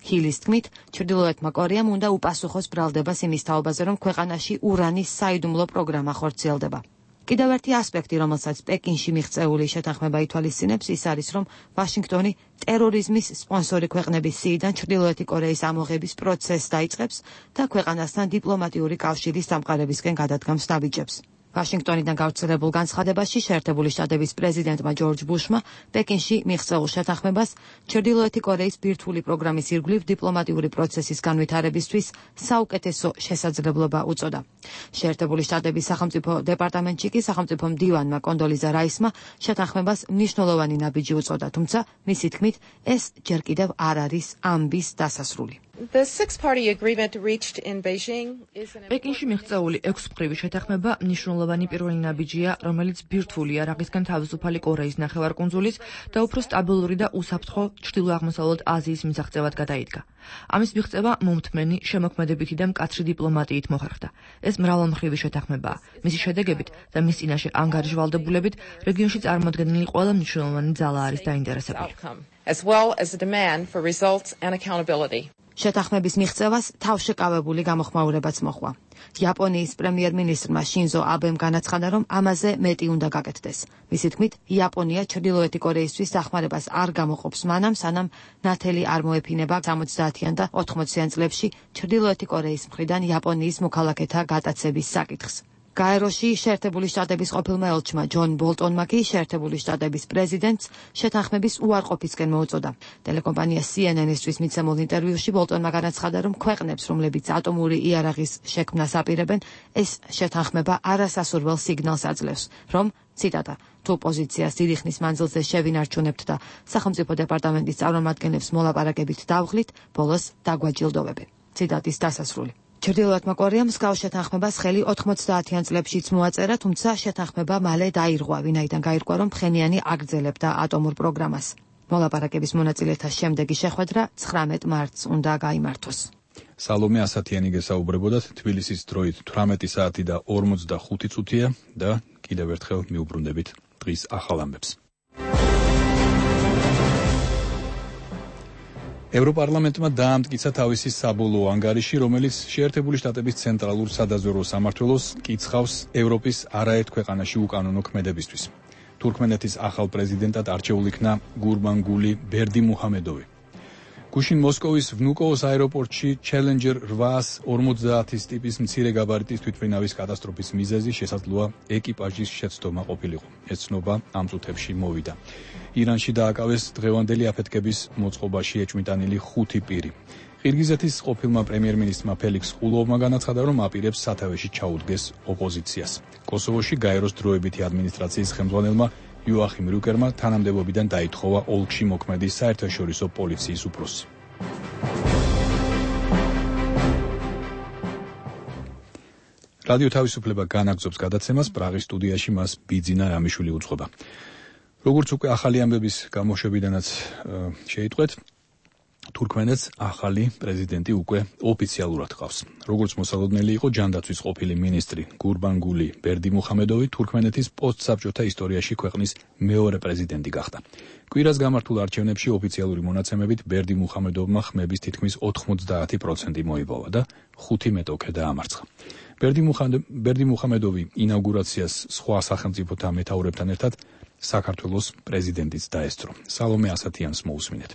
ჰილის თქმით, ჩრდილოეთმა კორეამ უნდა უპასუხოს ბრალდებას იმის თაობაზე, რომ ქვეყანაში ურანის საიდუმლო პროგრამა ხორციელდება. კიდევ ერთი ასპექტი, რომელსაც პეკინში მიღწეული შეთანხმება ითვალისწინებს, ის არის, რომ ვაშინგტონი ტერორიზმის სპონსორი ქვეყნების სიიდან ჩრდილოეთი კორეის ამოღების პროცესს დაიწყებს და ქვეყანასთან დიპლომატიური კავშირის დამყარებისკენ გადადგამს ნაბიჯებს. ვაშინგტონიდან გავრცელებულ განცხადებაში შეერთებული შტატების პრეზიდენტმა ჯორჯ ბუშმა პეკინში მიღწეულ შეთანხმებას ჩრდილოეთი კორეის ბირთვული პროგრამის ირგვლივ დიპლომატიური პროცესის განვითარებისთვის საუკეთესო შესაძლებლობა უწოდა. შეერთებული შტატების სახელმწიფო დეპარტამენტში კი სახელმწიფო მდივანმა კონდოლიზა რაისმა შეთანხმებას მნიშვნელოვანი ნაბიჯი უწოდა, თუმცა მისი თქმით ეს ჯერ კიდევ არ არის ამბის დასასრული. The six-party agreement reached in Beijing is an პეკინში მიღწეული ექვსმხრივი შეთანხმება მნიშვნელოვანი პირველი ნაბიჯია, რომელიც ბირთვულია რაგისგან თავისუფალი კორეის ნახევარკუნძულის და უფრო სტაბილური და უსაფრთხო ჩრდილო-აღმოსავლეთ აზიის მისაღწევად გადაიდგა. ამის მიღწევა მომთმენი, შემოქმედებითი და მკაცრი დიპლომატიით მოხერხდა. ეს მრავალმხრივი შეთანხმებაა. მისი შედეგებით და მის წინაშე ანგარიშვალდებულებით რეგიონში წარმოდგენილი ყველა მნიშვნელოვანი ძალა არის დაინტერესებული. as well as the demand for results and accountability. შეთანხმების მიღწევას თავშეკავებული გამოხმაურებაც მოჰყვა. იაპონიის პრემიერ-მინისტრმა შინზო აბემ განაცხადა, რომ ამაზე მეტი უნდა გაკეთდეს. მისი თქმით, იაპონია ჩრდილოეთი კორეისთვის დახმარებას არ გამოყოფს მანამ, სანამ ნათელი არ მოეფინება სამოცდაათიან და ოთხმოციან წლებში ჩრდილოეთი კორეის მხრიდან იაპონიის მოქალაქეთა გატაცების საკითხს. გაეროში შეერთებული შტატების ყოფილმა ელჩმა ჯონ ბოლტონმა კი შეერთებული შტატების პრეზიდენტს შეთანხმების უარყოფისკენ მოუწოდა. ტელეკომპანია C N N-ისთვის მიცემულ ინტერვიუში ბოლტონმა განაცხადა, რომ ქვეყნებს, რომლებიც ატომური იარაღის შექმნას აპირებენ, ეს შეთანხმება არასასურველ სიგნალს აძლევს, რომ ციტატა თუ პოზიციას დიდი ხნის მანძილზე შევინარჩუნებთ და სახელმწიფო დეპარტამენტის წარმომადგენლებს მოლაპარაკებით დავღლით, ბოლოს დაგვაჯილდოვებენ. ციტატის დასასრული. ჩრდილოეთმა კორეამ მსგავს შეთანხმებას ხელი ოთხმოცდაათიან წლებშიც მოაწერა, თუმცა შეთანხმება მალე დაირღვა, ვინაიდან გაირკვა, რომ ფხენიანი აგრძელებდა ატომურ პროგრამას. მოლაპარაკების მონაწილეთა შემდეგი შეხვედრა ცხრამეტ მარტს უნდა გაიმართოს. სალომე ასათიანი გესაუბრებოდათ, თბილისის დროით თვრამეტი საათი და ორმოცდახუთი წუთია და კიდევ ერთხელ მიუბრუნდებით დღის ახალ ამბებს. ევროპარლამენტმა დაამტკიცა თავისი საბოლოო ანგარიში, რომელიც შეერთებული შტატების ცენტრალურ სადაზვერვო სამმართველოს კიცხავს ევროპის არაერთ ქვეყანაში უკანონო ქმედებისთვის. თურქმენეთის ახალ პრეზიდენტად არჩეულ იქნა გურბანგული ბერდიმუჰამედოვი. გუშინ მოსკოვის ვნუკოოს აეროპორტში Challenger რვას ორმოცდაათის ტიპის მცირე გაბარიტის თვითმფრინავის კატასტროფის მიზეზი შესაძლოა ეკიპაჟის შეცდომა ყოფილიყო. ეს ცნობა ამ წუთებში მოვიდა. ირანში დააკავეს დღევანდელი აფეთქების მოწყობაში ეჭვმიტანილი ხუთი პირი. ყირგიზეთის ყოფილმა პრემიერ-მინისტრმა ფელიქს ყულოვმა განაცხადა, რომ აპირებს სათავეში ჩაუდგეს ოპოზიციას. კოსოვოში გაეროს დროებითი ადმინისტრაციის ხელმძღვანელმა იოახიმ რიუკერმა თანამდებობიდან დაითხოვა ოლქში მოქმედი საერთაშორისო პოლიციის უფროსი. რადიო თავისუფლება განაგრძობს გადაცემას, პრაღის სტუდიაში მას ბიძინა რამიშვილი უძღვება. როგორც უკვე ახალი ამბების გამოშვებიდანაც შეიტყვეთ, თურქმენეთს ახალი პრეზიდენტი უკვე ოფიციალურად ყავს. როგორც მოსალოდნელი იყო ჯანდაცვის ყოფილი მინისტრი გურბანგული ბერდიმუჰამედოვი, თურქმენეთის პოსტსაბჭოთა ისტორიაში ქვეყნის მეორე პრეზიდენტი გახდა. კვირას გამართულ არჩევნებში ოფიციალური მონაცემებით ბერდიმუჰამედოვმა ხმების თითქმის ოთხმოცდაათი პროცენტი მოიპოვა და ხუთი მეტოქე დაამარცხა. ბერდიმუჰამედოვი ინაუგურაციას სხვა სახელმწიფოთა მეთაურებთან ერთად საქართველოს პრეზიდენტიც დაესწრო. სალომე ასათიანს მოусმინეთ.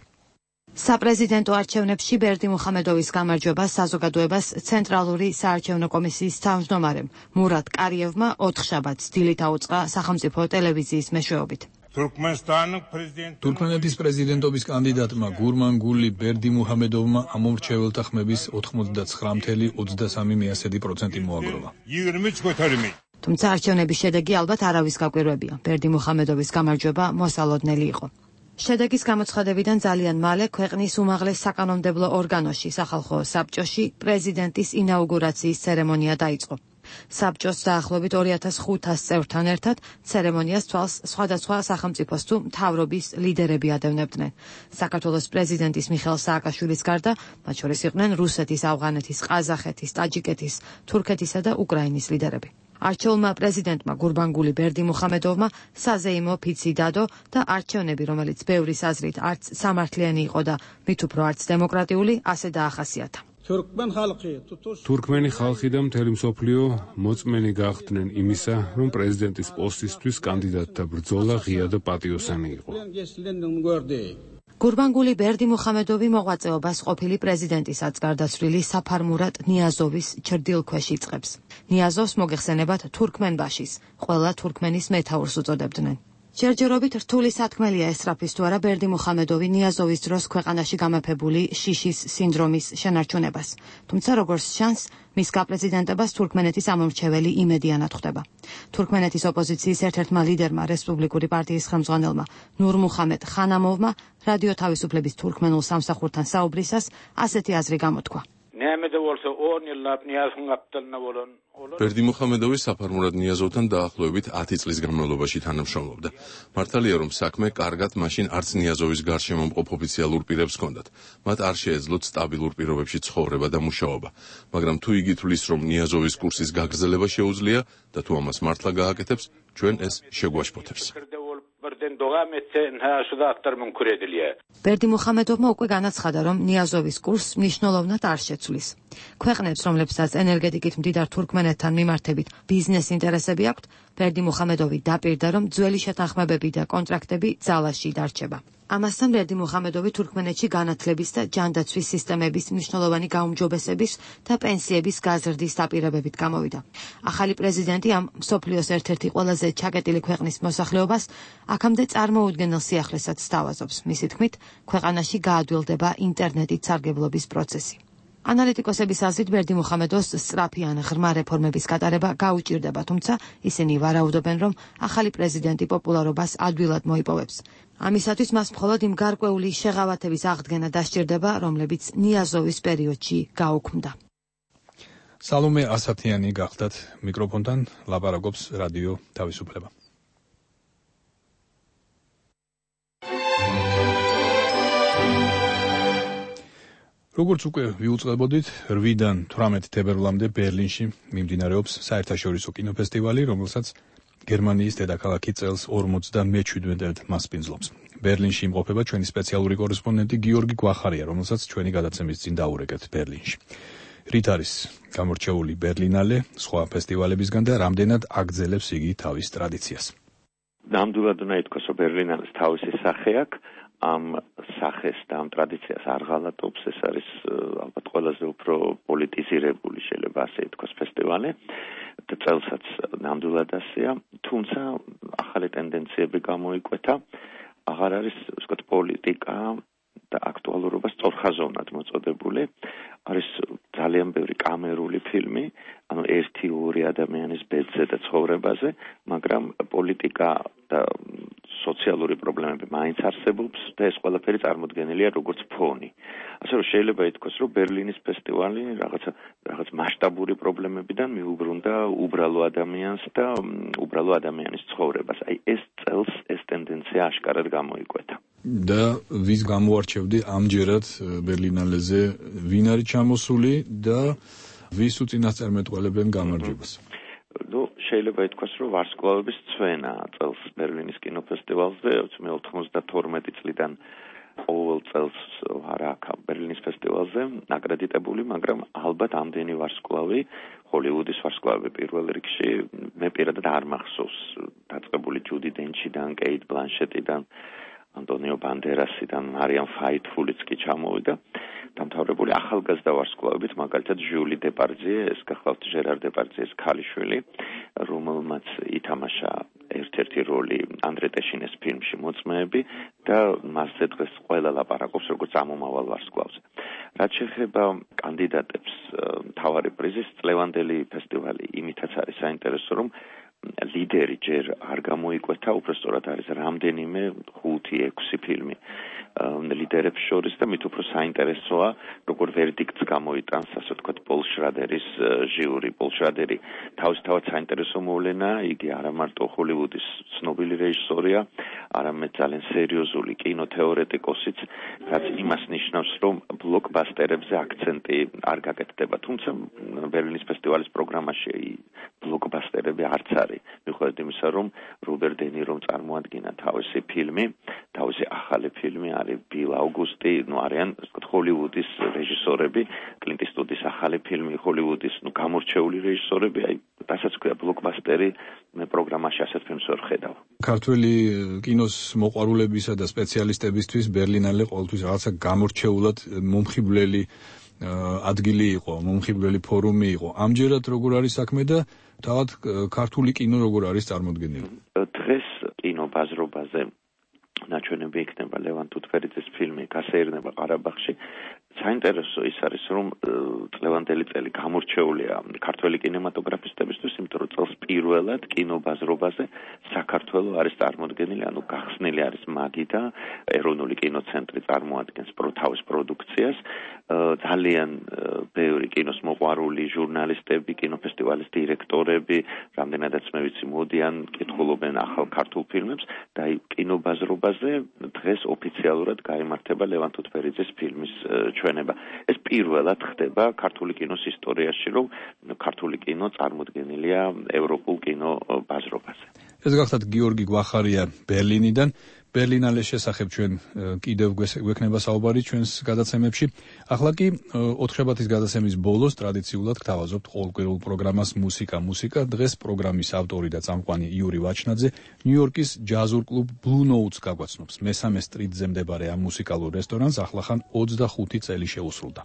საპრეზიდენტო არჩევნებში ბერდიმუჰამედოვის გამარჯვება საზოგადოებას ცენტრალური საარჩევნო კომისიის თავმჯდომარემ მურატ კარიევმა ოთხშაბათს დილით აუწყა სახელმწიფო ტელევიზიის მეშვეობით. თურქმენეთის პრეზიდენტობის კანდიდატმა გურბანგული ბერდიმუჰამედოვმა ამომრჩეველთა ხმების ოთხმოცდაცხრა კoma ოცდასამი პროცენტი მოაგროვა. თუმცა არჩევნების შედეგი ალბათ არავის გაკვირვებია. ბერდიმუჰამედოვის გამარჯვება მოსალოდნელი იყო. შედეგის გამოცხადებიდან ძალიან მალე ქვეყნის უმაღლეს საკანონმდებლო ორგანოში, სახალხო საბჭოში, პრეზიდენტის ინაუგურაციის ცერემონია დაიწყო. საბჭოს დაახლოებით ორი ათას ხუთას წევრთან ერთად ცერემონიას თვალს სხვადასხვა სახელმწიფოს თუ მთავრობის ლიდერები ადევნებდნენ. საქართველოს პრეზიდენტის მიხეილ სააკაშვილის გარდა, მათ შორის იყვნენ რუსეთის, ავღანეთის, ყაზახეთის, ტაჯიკეთის, თურქეთისა და უკრაინის ლიდერები. არჩეულმა პრეზიდენტმა გურბანგული ბერდიმუჰამედოვმა საზეიმო ფიცი დადო და არჩევნები, რომელიც ბევრის აზრით არც სამართლიანი იყო და მით უფრო არც დემოკრატიული, ასე დაახასიათა. თურქმენი ხალხი და მთელი მსოფლიო მოწმენი გახდნენ იმისა, რომ პრეზიდენტის პოსტისთვის კანდიდატთა ბრძოლა ღია და პატიოსანი იყო. გურბანგული ბერდიმუჰამედოვი მოღვაწეობას ყოფილი პრეზიდენტისაც გარდაცვლილი საფარმურატ ნიაზოვის ჩრდილქვეშ იწყებს. ნიაზოვს მოგეხსენებათ თურქმენბაშის, ყველა თურქმენის მეთაურს უწოდებდნენ. ჯერჯერობით რთული სათქმელია ესწრაფის თუ არა ბერდი მუხამედოვი ნიაზოვის დროს ქვეყანაში გამეფებული შიშის სინდრომის შენარჩუნებას. თუმცა როგორც ჩანს, მის გაპრეზიდენტებას თურქმენეთის ამომრჩეველი იმედიანად ხვდება. თურქმენეთის ოპოზიციის ერთ-ერთმა ლიდერმა, რესპუბლიკური პარტიის ხელმძღვანელმა ნურ მუხამედ ხანამოვმა რადიო თავისუფლების თურქმენულ სამსახურთან საუბრისას ასეთი აზრი გამოთქვა. ბერდი მუხამედოვი საფარმურად ნიაზოვთან დაახლოებით ათი წლის განმავლობაში თანამშრომლობდა. მართალია, რომ საქმე კარგად მაშინ არც ნიაზოვის გარშემო მყოფ ოფიციალურ პირებს ჰქონდათ. მათ არ შეეძლოთ სტაბილურ პირობებში ცხოვრება და მუშაობა. მაგრამ თუ იგი თვლის, რომ ნიაზოვის კურსის გაგრძელება შეუძლია და თუ ამას მართლა გააკეთებს, ჩვენ ეს შეგვაშფოთებს. ბერდი მუხამედოვმა უკვე განაცხადა, რომ ნიაზოვის კურსს მნიშვნელოვნად არ შეცვლის. ქვეყნებს, რომლებსაც ენერგეტიკით მდიდარ თურქმენეთთან მიმართებით ბიზნეს ინტერესები აქვთ, ბერდი მუხამედოვი დაპირდა, რომ ძველი შეთანხმებები და კონტრაქტები ძალაში დარჩება. ამასთან ბერდი მუხამედოვი თურქმენეთში განათლების და ჯანდაცვის სისტემების მნიშვნელოვანი გაუმჯობესების და პენსიების გაზრდის დაპირებებით გამოვიდა. ახალი პრეზიდენტი ამ მსოფლიოს ერთ-ერთი ყველაზე ჩაკეტილი ქვეყნის მოსახლეობას აქამდე წარმოუდგენელ სიახლესაც სთავაზობს. მისი თქმით, ქვეყანაში გაადვილდება ინტერნეტით სარგებლობის პროცესი. ანალიტიკოსების აზრით ბერდი მუხამედოვს სწრაფი ან ღრმა რეფორმების გატარება გაუჭირდება, თუმცა ისინი ვარაუდობენ, რომ ახალი პრეზიდენტი პოპულარობას ადვილად მოიპოვებს. ამისათვის მას მხოლოდ იმ გარკვეული შეღავათების აღდგენა დასჭირდება, რომლებიც ნიაზოვის პერიოდში გაუქმდა. სალომე ასათიანი გახდათ მიკროფონთან ლაპარაკობს რადიო თავისუფლება. როგორც უკვე ვიუწყებოდით, რვიდან თვრამეტ თებერვლამდე ბერლინში მიმდინარეობს საერთაშორისო კინოფესტივალი, რომელსაც გერმანიის დედაქალაქი წელს ორმოცდამეჩვიდმეტად მასპინძლობს. ბერლინში იმყოფება ჩვენი სპეციალური კორესპონდენტი გიორგი გვახარია, რომელსაც ჩვენი გადაცემის წინ დაურეკეთ ბერლინში. რით არის გამორჩეული ბერლინალე სხვა ფესტივალებისგან და რამდენად აგრძელებს იგი თავის ტრადიციას? ნამდვილად უნდა ითქვას, რომ ბერლინალეს თავისი სახე აქვს. ამ სახეს და ამ ტრადიციას არ ღალატობს, ეს არის ალბათ ყველაზე უფრო პოლიტიზირებული, შეიძლება ასე ითქვას, ფესტივალი და წელსაც ნამდვილად ასეა, თუმცა ახალი ტენდენციები გამოიკვეთა, აღარ არის ვთქვათ პოლიტიკა და აქტუალურობა სწორხაზოვნად მოწოდებული, არის ძალიან ბევრი კამერული ფილმი, ანუ ერთი ორი ადამიანის ბედზე და ცხოვრებაზე, მაგრამ პოლიტიკა და სოციალური პრობლემები მაინც არსებობს და ეს ყველაფერი წარმოდგენილია როგორც ფონი. ასე რომ შეიძლება ითქვას, რომ ბერლინის ფესტივალი რაღაცა რაღაც მასშტაბური პრობლემებიდან მიუბრუნდა უბრალო ადამიანს და უბრალო ადამიანის ცხოვრებას. აი ეს წელს ეს ტენდენცია აშკარად გამოიკვეთა. და ვის გამოარჩევდი ამჯერად ბერლინალეზე, ვინ არის ჩამოსული და ვის უწინასწარმეტყველებენ გამარჯვებას? ნუ შეიძლება ითქვას, რომ ვარსკვლავების ცვენა წელს ბერლინის კინოფესტივალზე, მე ოცდათორმეტი წლიდან ყოველ წელს არ აქვს ბერლინის ფესტივალზე აკრედიტებული, მაგრამ ალბათ ამდენი ვარსკვლავი, ჰოლივუდის ვარსკვლავი პირველ რიგში, მე პირადად არ მახსოვს დაწყებული ჯუდი დენჩიდან, კეით ბლანშეტიდან, ანტონიო ბანდერასიდან, მარიამ ფაითფულიც კი ჩამოვიდა. დამთავრებული ახალგაზრდა ვარსკვლავებით, მაგალითად ჟიული დეპარდიე, ეს გახლავთ ჟერარ დეპარდიეს ქალიშვილი, რომელმაც ითამაშა ერთ-ერთი როლი ანდრე ტეშინეს ფილმში მოწმეები და მასზე დღეს ყველა ლაპარაკობს როგორც ამომავალ ვარსკვლავზე. რაც შეეხება კანდიდატებს მთავარი პრიზის, წლევანდელი ფესტივალი იმითაც არის საინტერესო, რომ ლიდერი ჯერ არ გამოიკვეთა, უბრალოდ არის რამდენიმე ხუთი ექვსი ფილმი ლიდერებს შორის და მით უფრო საინტერესოა, როგორ ვერდიქტს გამოიტანს, ასე ვთქვათ, პოლ შრადერის ჟიური. პოლ შრადერი თავისთავად საინტერესო მოვლენა, იგი არა მარტო ჰოლივუდის ცნობილი რეჟისორია, არამედ ძალიან სერიოზული კინოთეორეტიკოსიც, რაც იმას ნიშნავს, რომ ბლოკბასტერებზე აქცენტი არ გაკეთდება. თუმცა ბერლინის ფესტივალის პროგრამაში ბლოკბასტერები არც არის. მიუხედავად იმისა, რომ რობერტ დე ნირომ წარმოადგინა თავისი ფილმი, თავისი ახალი ფილმი არის ბილ აუგუსტი, ნუ არიან ვთქვათ ჰოლივუდის რეჟისორები, კლინტ ისტვუდის ახალი ფილმი, ჰოლივუდის ნუ გამორჩეული რეჟისორები, აი რასაც ქვია ბლოკბასტერი, მე პროგრამაში ასეთ ფილმს ვერ ხედავ. ქართველი კინოს მოყვარულებისა და სპეციალისტებისთვის ბერლინალე ყოველთვის რაღაცა გამორჩეულად მომხიბვლელი ადგილი იყო, მომხიბვლელი ფორუმი იყო. ამჯერად როგორ არის საქმე და თავად ქართული კინო როგორ არის წარმოდგენილი? დღეს კინო ბაზრობაზე ნაჩვენები იქნება ლევან თუთფერიძის ფილმი გასეირნება ყარაბაღში. საინტერესო ის არის, რომ წლევანდელი წელი გამორჩეულია ქართველი კინემატოგრაფისტებისთვის, იმიტომ რომ წელს პირველად კინობაზრობაზე საქართველოს არის წარმოდგენილი, ანუ გახსნილი არის მაგიდა, ეროვნული კინოცენტრი წარმოადგენს თავის პროდუქციას, ძალიან ბევრი კინოს მოყვარული ჟურნალისტები, კინოფესტივალის დირექტორები, რამდენადაც მე ვიცი, მოდიან, კითხულობენ ახალ ქართულ ფილმებს და კინობაზრობაზე დღეს ოფიციალურად გაიმართება ლევან თუთფერიძის ფილმის ჩვენება. ეს პირველად ხდება ქართული კინოს ისტორიაში, რომ ქართული კინო წარმოდგენილია ევროპულ კინობაზრობაზე. ეს გახლავთ გიორგი გვახარია ბერლინიდან. ბერლინალეს შესახებ ჩვენ კიდევ გვექნება საუბარი ჩვენს გადაცემებში. ახლა კი ოთხშაბათის გადაცემის ბოლოს ტრადიციულად გთავაზობთ ყოველკვირეულ პროგრამას მუსიკა მუსიკა. დღეს პროგრამის ავტორი და წამყვანი იური ვაჩნაძე ნიუ-იორკის ჯაზურ კლუბ Blue Notes გაგვაცნობს. მესამე სტრიტზე მდებარე ამ მუსიკალურ რესტორანს ახლახან ოცდახუთი წელი შეუსრულდა.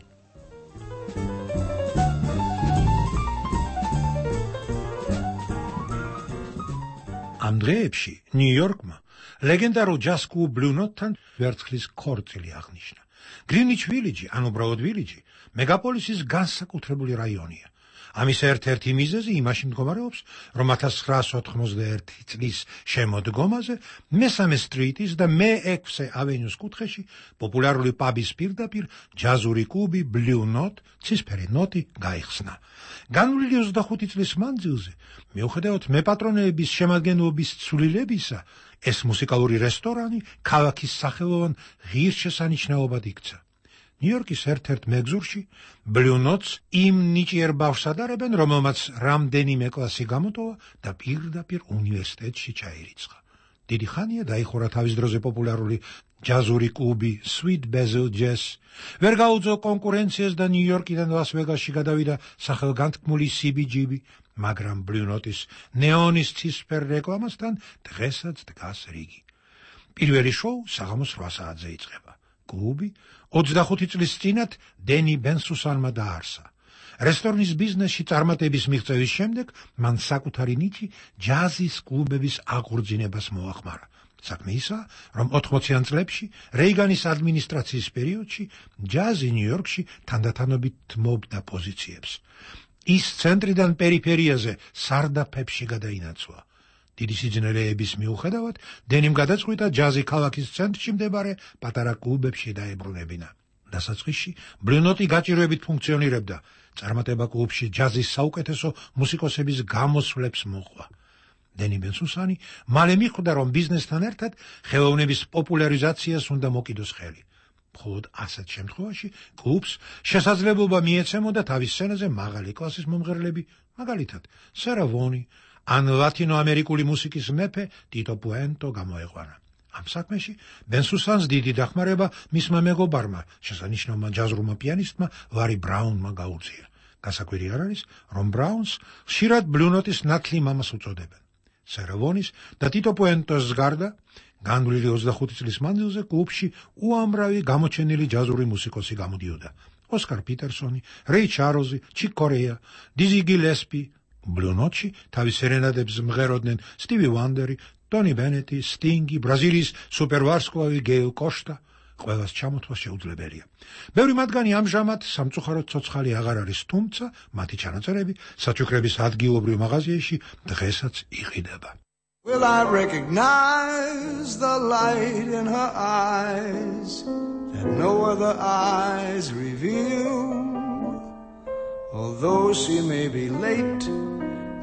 ამ დღეებში ნიუ-იორკმა ლეგენდარულ ჯაზ კლუბ Blue Note-თან ვერცხლის ქორწილი აღნიშნა. გრინვიჩ ვილიჯი, ან უბრალოდ ვილიჯი, მეგაპოლისის განსაკუთრებული რაიონია. ამის ერთ-ერთი მიზეზი იმაში მდგომარეობს, რომ ათას ცხრაასი ოთხმოცდაერთი წლის შემოდგომაზე მესამე სტრიტის და მეექვსე ავენიუს კუთხეში პოპულარული პაბის პირდაპირ ჯაზური კლუბი Blue Note, ცისფერი ნოტი გაიხსნა. განვლილი ოცდახუთი წლის მანძილზე, მიუხედავად მეპატრონეების შემადგენლობის ცვლილებისა, ეს მუსიკალური რესტორანი ქალაქის სახელოვან ღირსშესანიშნაობად იქცა. ნიუ-იორკის ერთ-ერთ მეგზურში Blue Notes იმ ნიჭიერ ბავშვს ადარებენ, რომელმაც რამდენიმე კლასი გამოტოვა და პირდაპირ უნივერსიტეტში ჩაირიცხა. დიდი ხანია დაიხურა თავის დროზე პოპულარული ჯაზური კლუბი Sweet Basil Jazz. ვერ გაუძლო კონკურენციას და ნიუ-იორკიდან ლას-ვეგასში გადავიდა სახელგანთქმული სი ბი ჯი ბი, მაგრამ Blue Note-ის ნეონის ცისფერ რეკლამასთან დღესაც დგას რიგი. პირველი შოუ საღამოს რვა საათზე იწყება. კლუბი ოცდახუთი წლის წინათ დენი ბენსუსანმა დაარსა. რესტორნის ბიზნესში წარმატების მიღწევის შემდეგ მან საკუთარი ნიჭი ჯაზის კლუბების აღორძინებას მოახმარა. საქმე ისაა, რომ ოთხმოციან წლებში რეიგანის ადმინისტრაციის პერიოდში ჯაზი ნიუ-იორკში თანდათანობით მობდა პოზიციებს. ის ცენტრიდან პერიფერიაზე სარდაფებში გადაინაცვლა. დიდი სიძნელეების მიუხედავად, დენიმ გადაწყვიტა ჯაზი ქალაქის ცენტრში მდებარე პატარა კლუბებში დაებრუნებინა. დასაწყისში Blue Note გაჭირვებით ფუნქციონირებდა. წარმატება კლუბში ჯაზის საუკეთესო მუსიკოსების გამოსვლებს მოჰყვა. დენი ბენსუსანი მალე მიხვდა, რომ ბიზნესთან ერთად ხელოვნების პოპულარიზაციას უნდა მოკიდოს ხელი. მხოლოდ ასეთ შემთხვევაში კლუბს შესაძლებლობა მიეცემოდა თავის სცენაზე მაღალი კლასის მომღერლები, მაგალითად სარა ვონი, ან ლათინოამერიკული მუსიკის მეფე ტიტო პუენტო გამოეყვანა. ამ საქმეში ბენსუსანს დიდი დახმარება მისმა მეგობარმა, შესანიშნავმა ჯაზრულმა პიანისტმა ლარი ბრაუნმა გაუწია. გასაკვირი არ არის, რომ ბრაუნს ხშირად Blue Note-ის ნათლი მამას უწოდებენ. სარა ვონის და ტიტო პუენტოს გარდა განვლილი ოცდახუთი წლის მანძილზე კლუბში უამრავი გამოჩენილი ჯაზური მუსიკოსი გამოდიოდა. ოსკარ პიტერსონი, რეი ჩარლზი, ჩიკ კორეა, დიზი გილესპი. Blue Note-ში თავის სერენადებს მღეროდნენ სტივი ვანდერი, ტონი ბენეტი, სტინგი, ბრაზილიის სუპერვარსკვლავი გეილ კოშტა. ყველას ჩამოთვლა შეუძლებელია. ბევრი მათგანი ამჟამად სამწუხაროდ ცოცხალი აღარ არის, თუმცა მათი ჩანაწერები საჩუქრების ადგილობრივ მაღაზიაში დღესაც იყიდება. Will I recognize the light in her eyes that no other eyes reveal? Although she may be late,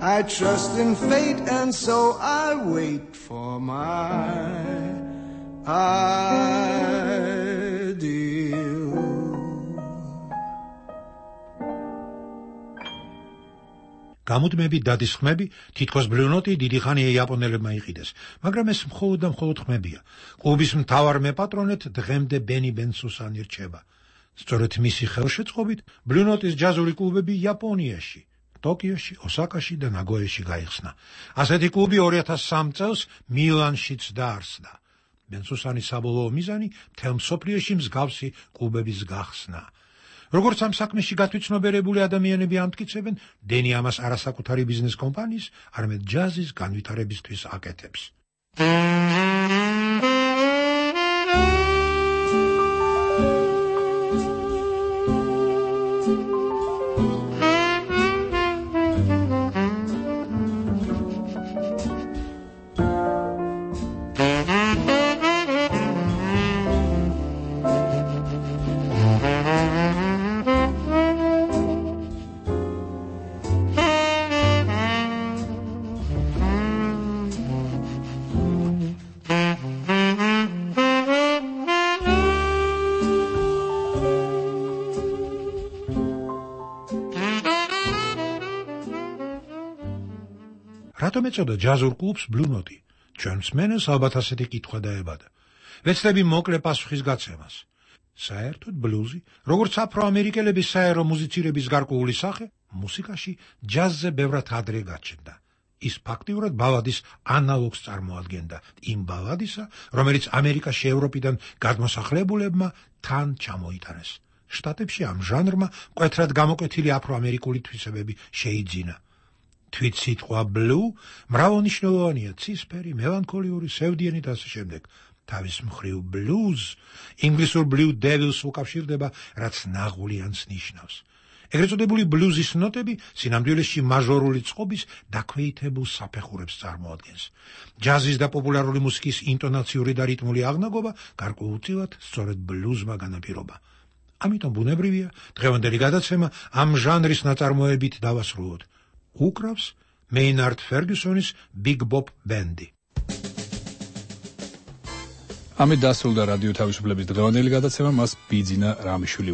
I trust in fate, and so I wait for my ideal. გამუდმები დადის ხმები, თითქოს Blue Note დიდი ხანია იაპონელებმა იყიდეს, მაგრამ ეს მხოლოდ და მხოლოდ ხმებია. კლუბის მთავარ მეპატრონედ დღემდე ბენი ბენსუსანი რჩება. სწორედ მისი ხელშეწყობით Blue Note-ის ჯაზური კლუბები იაპონიაში, ტოკიოში, ოსაკაში და ნაგოეში გაიხსნა. ასეთი კლუბი ორი ათას სამი წელს მილანშიც დაარსდა. ბენსუსანის საბოლოო მიზანი მთელ მსოფლიოში მსგავსი კლუბების გახსნა. როგორც ამ საქმეში გათვითცნობიერებული ადამიანები ამტკიცებენ, დენი ამას არასაკუთარი ბიზნეს კომპანიის, არამედ ჯაზის განვითარებისთვის აკეთებს. რატომ ეწოდა ჯაზურ კლუბს Blue Note? ჩვენ მსმენელს ალბათ ასეთი კითხვა დაებადა. ვეცდები მოკლე პასუხის გაცემას. საერთოდ ბლუზი, როგორც აფროამერიკელების საერო მუსიცირების გარკვეული სახე, მუსიკაში ჯაზზე ბევრად ადრე გაჩნდა. ის ფაქტიურად ბალადის ანალოგს წარმოადგენდა იმ ბალადისა, რომელიც ამერიკაში ევროპიდან გადმოსახლებულებმა თან ჩამოიტანეს. შტატებში ამ ჟანრმა მკვეთრად გამოკვეთილი აფროამერიკული თვისებები შეიძინა. თვით სიტყვა blue მრავალნიშნულოვანია, ცისფერი, მელანქოლიური, სევდიანი და ასე შემდეგ. თავის მხრივ blues ინგლისურ blue devils უკავშირდება, რაც ნაღულიანს ნიშნავს. ეგრეთ წოდებული ბლუზის ნოტები სინამდვილეში მაჟორული წყობის დაქვეითებულ საფეხურებს წარმოადგენს. ჯაზის და პოპულარული მუსიკის ინტონაციური და რიტმული აღნაგობა გარკვეულწილად სწორედ ბლუზმა განაპირობა. ამიტომ ბუნებრივია დღევანდელი გადაცემა ამ ჟანრის ნაწარმოებით დავასრულოთ. უკრავს მეინარდ ფერგუსონის Big Bop ბენდი. ამით დასრულდა რადიო თავისუფლების დღევანდელი გადაცემა, მას ბიძინა რამიშვილი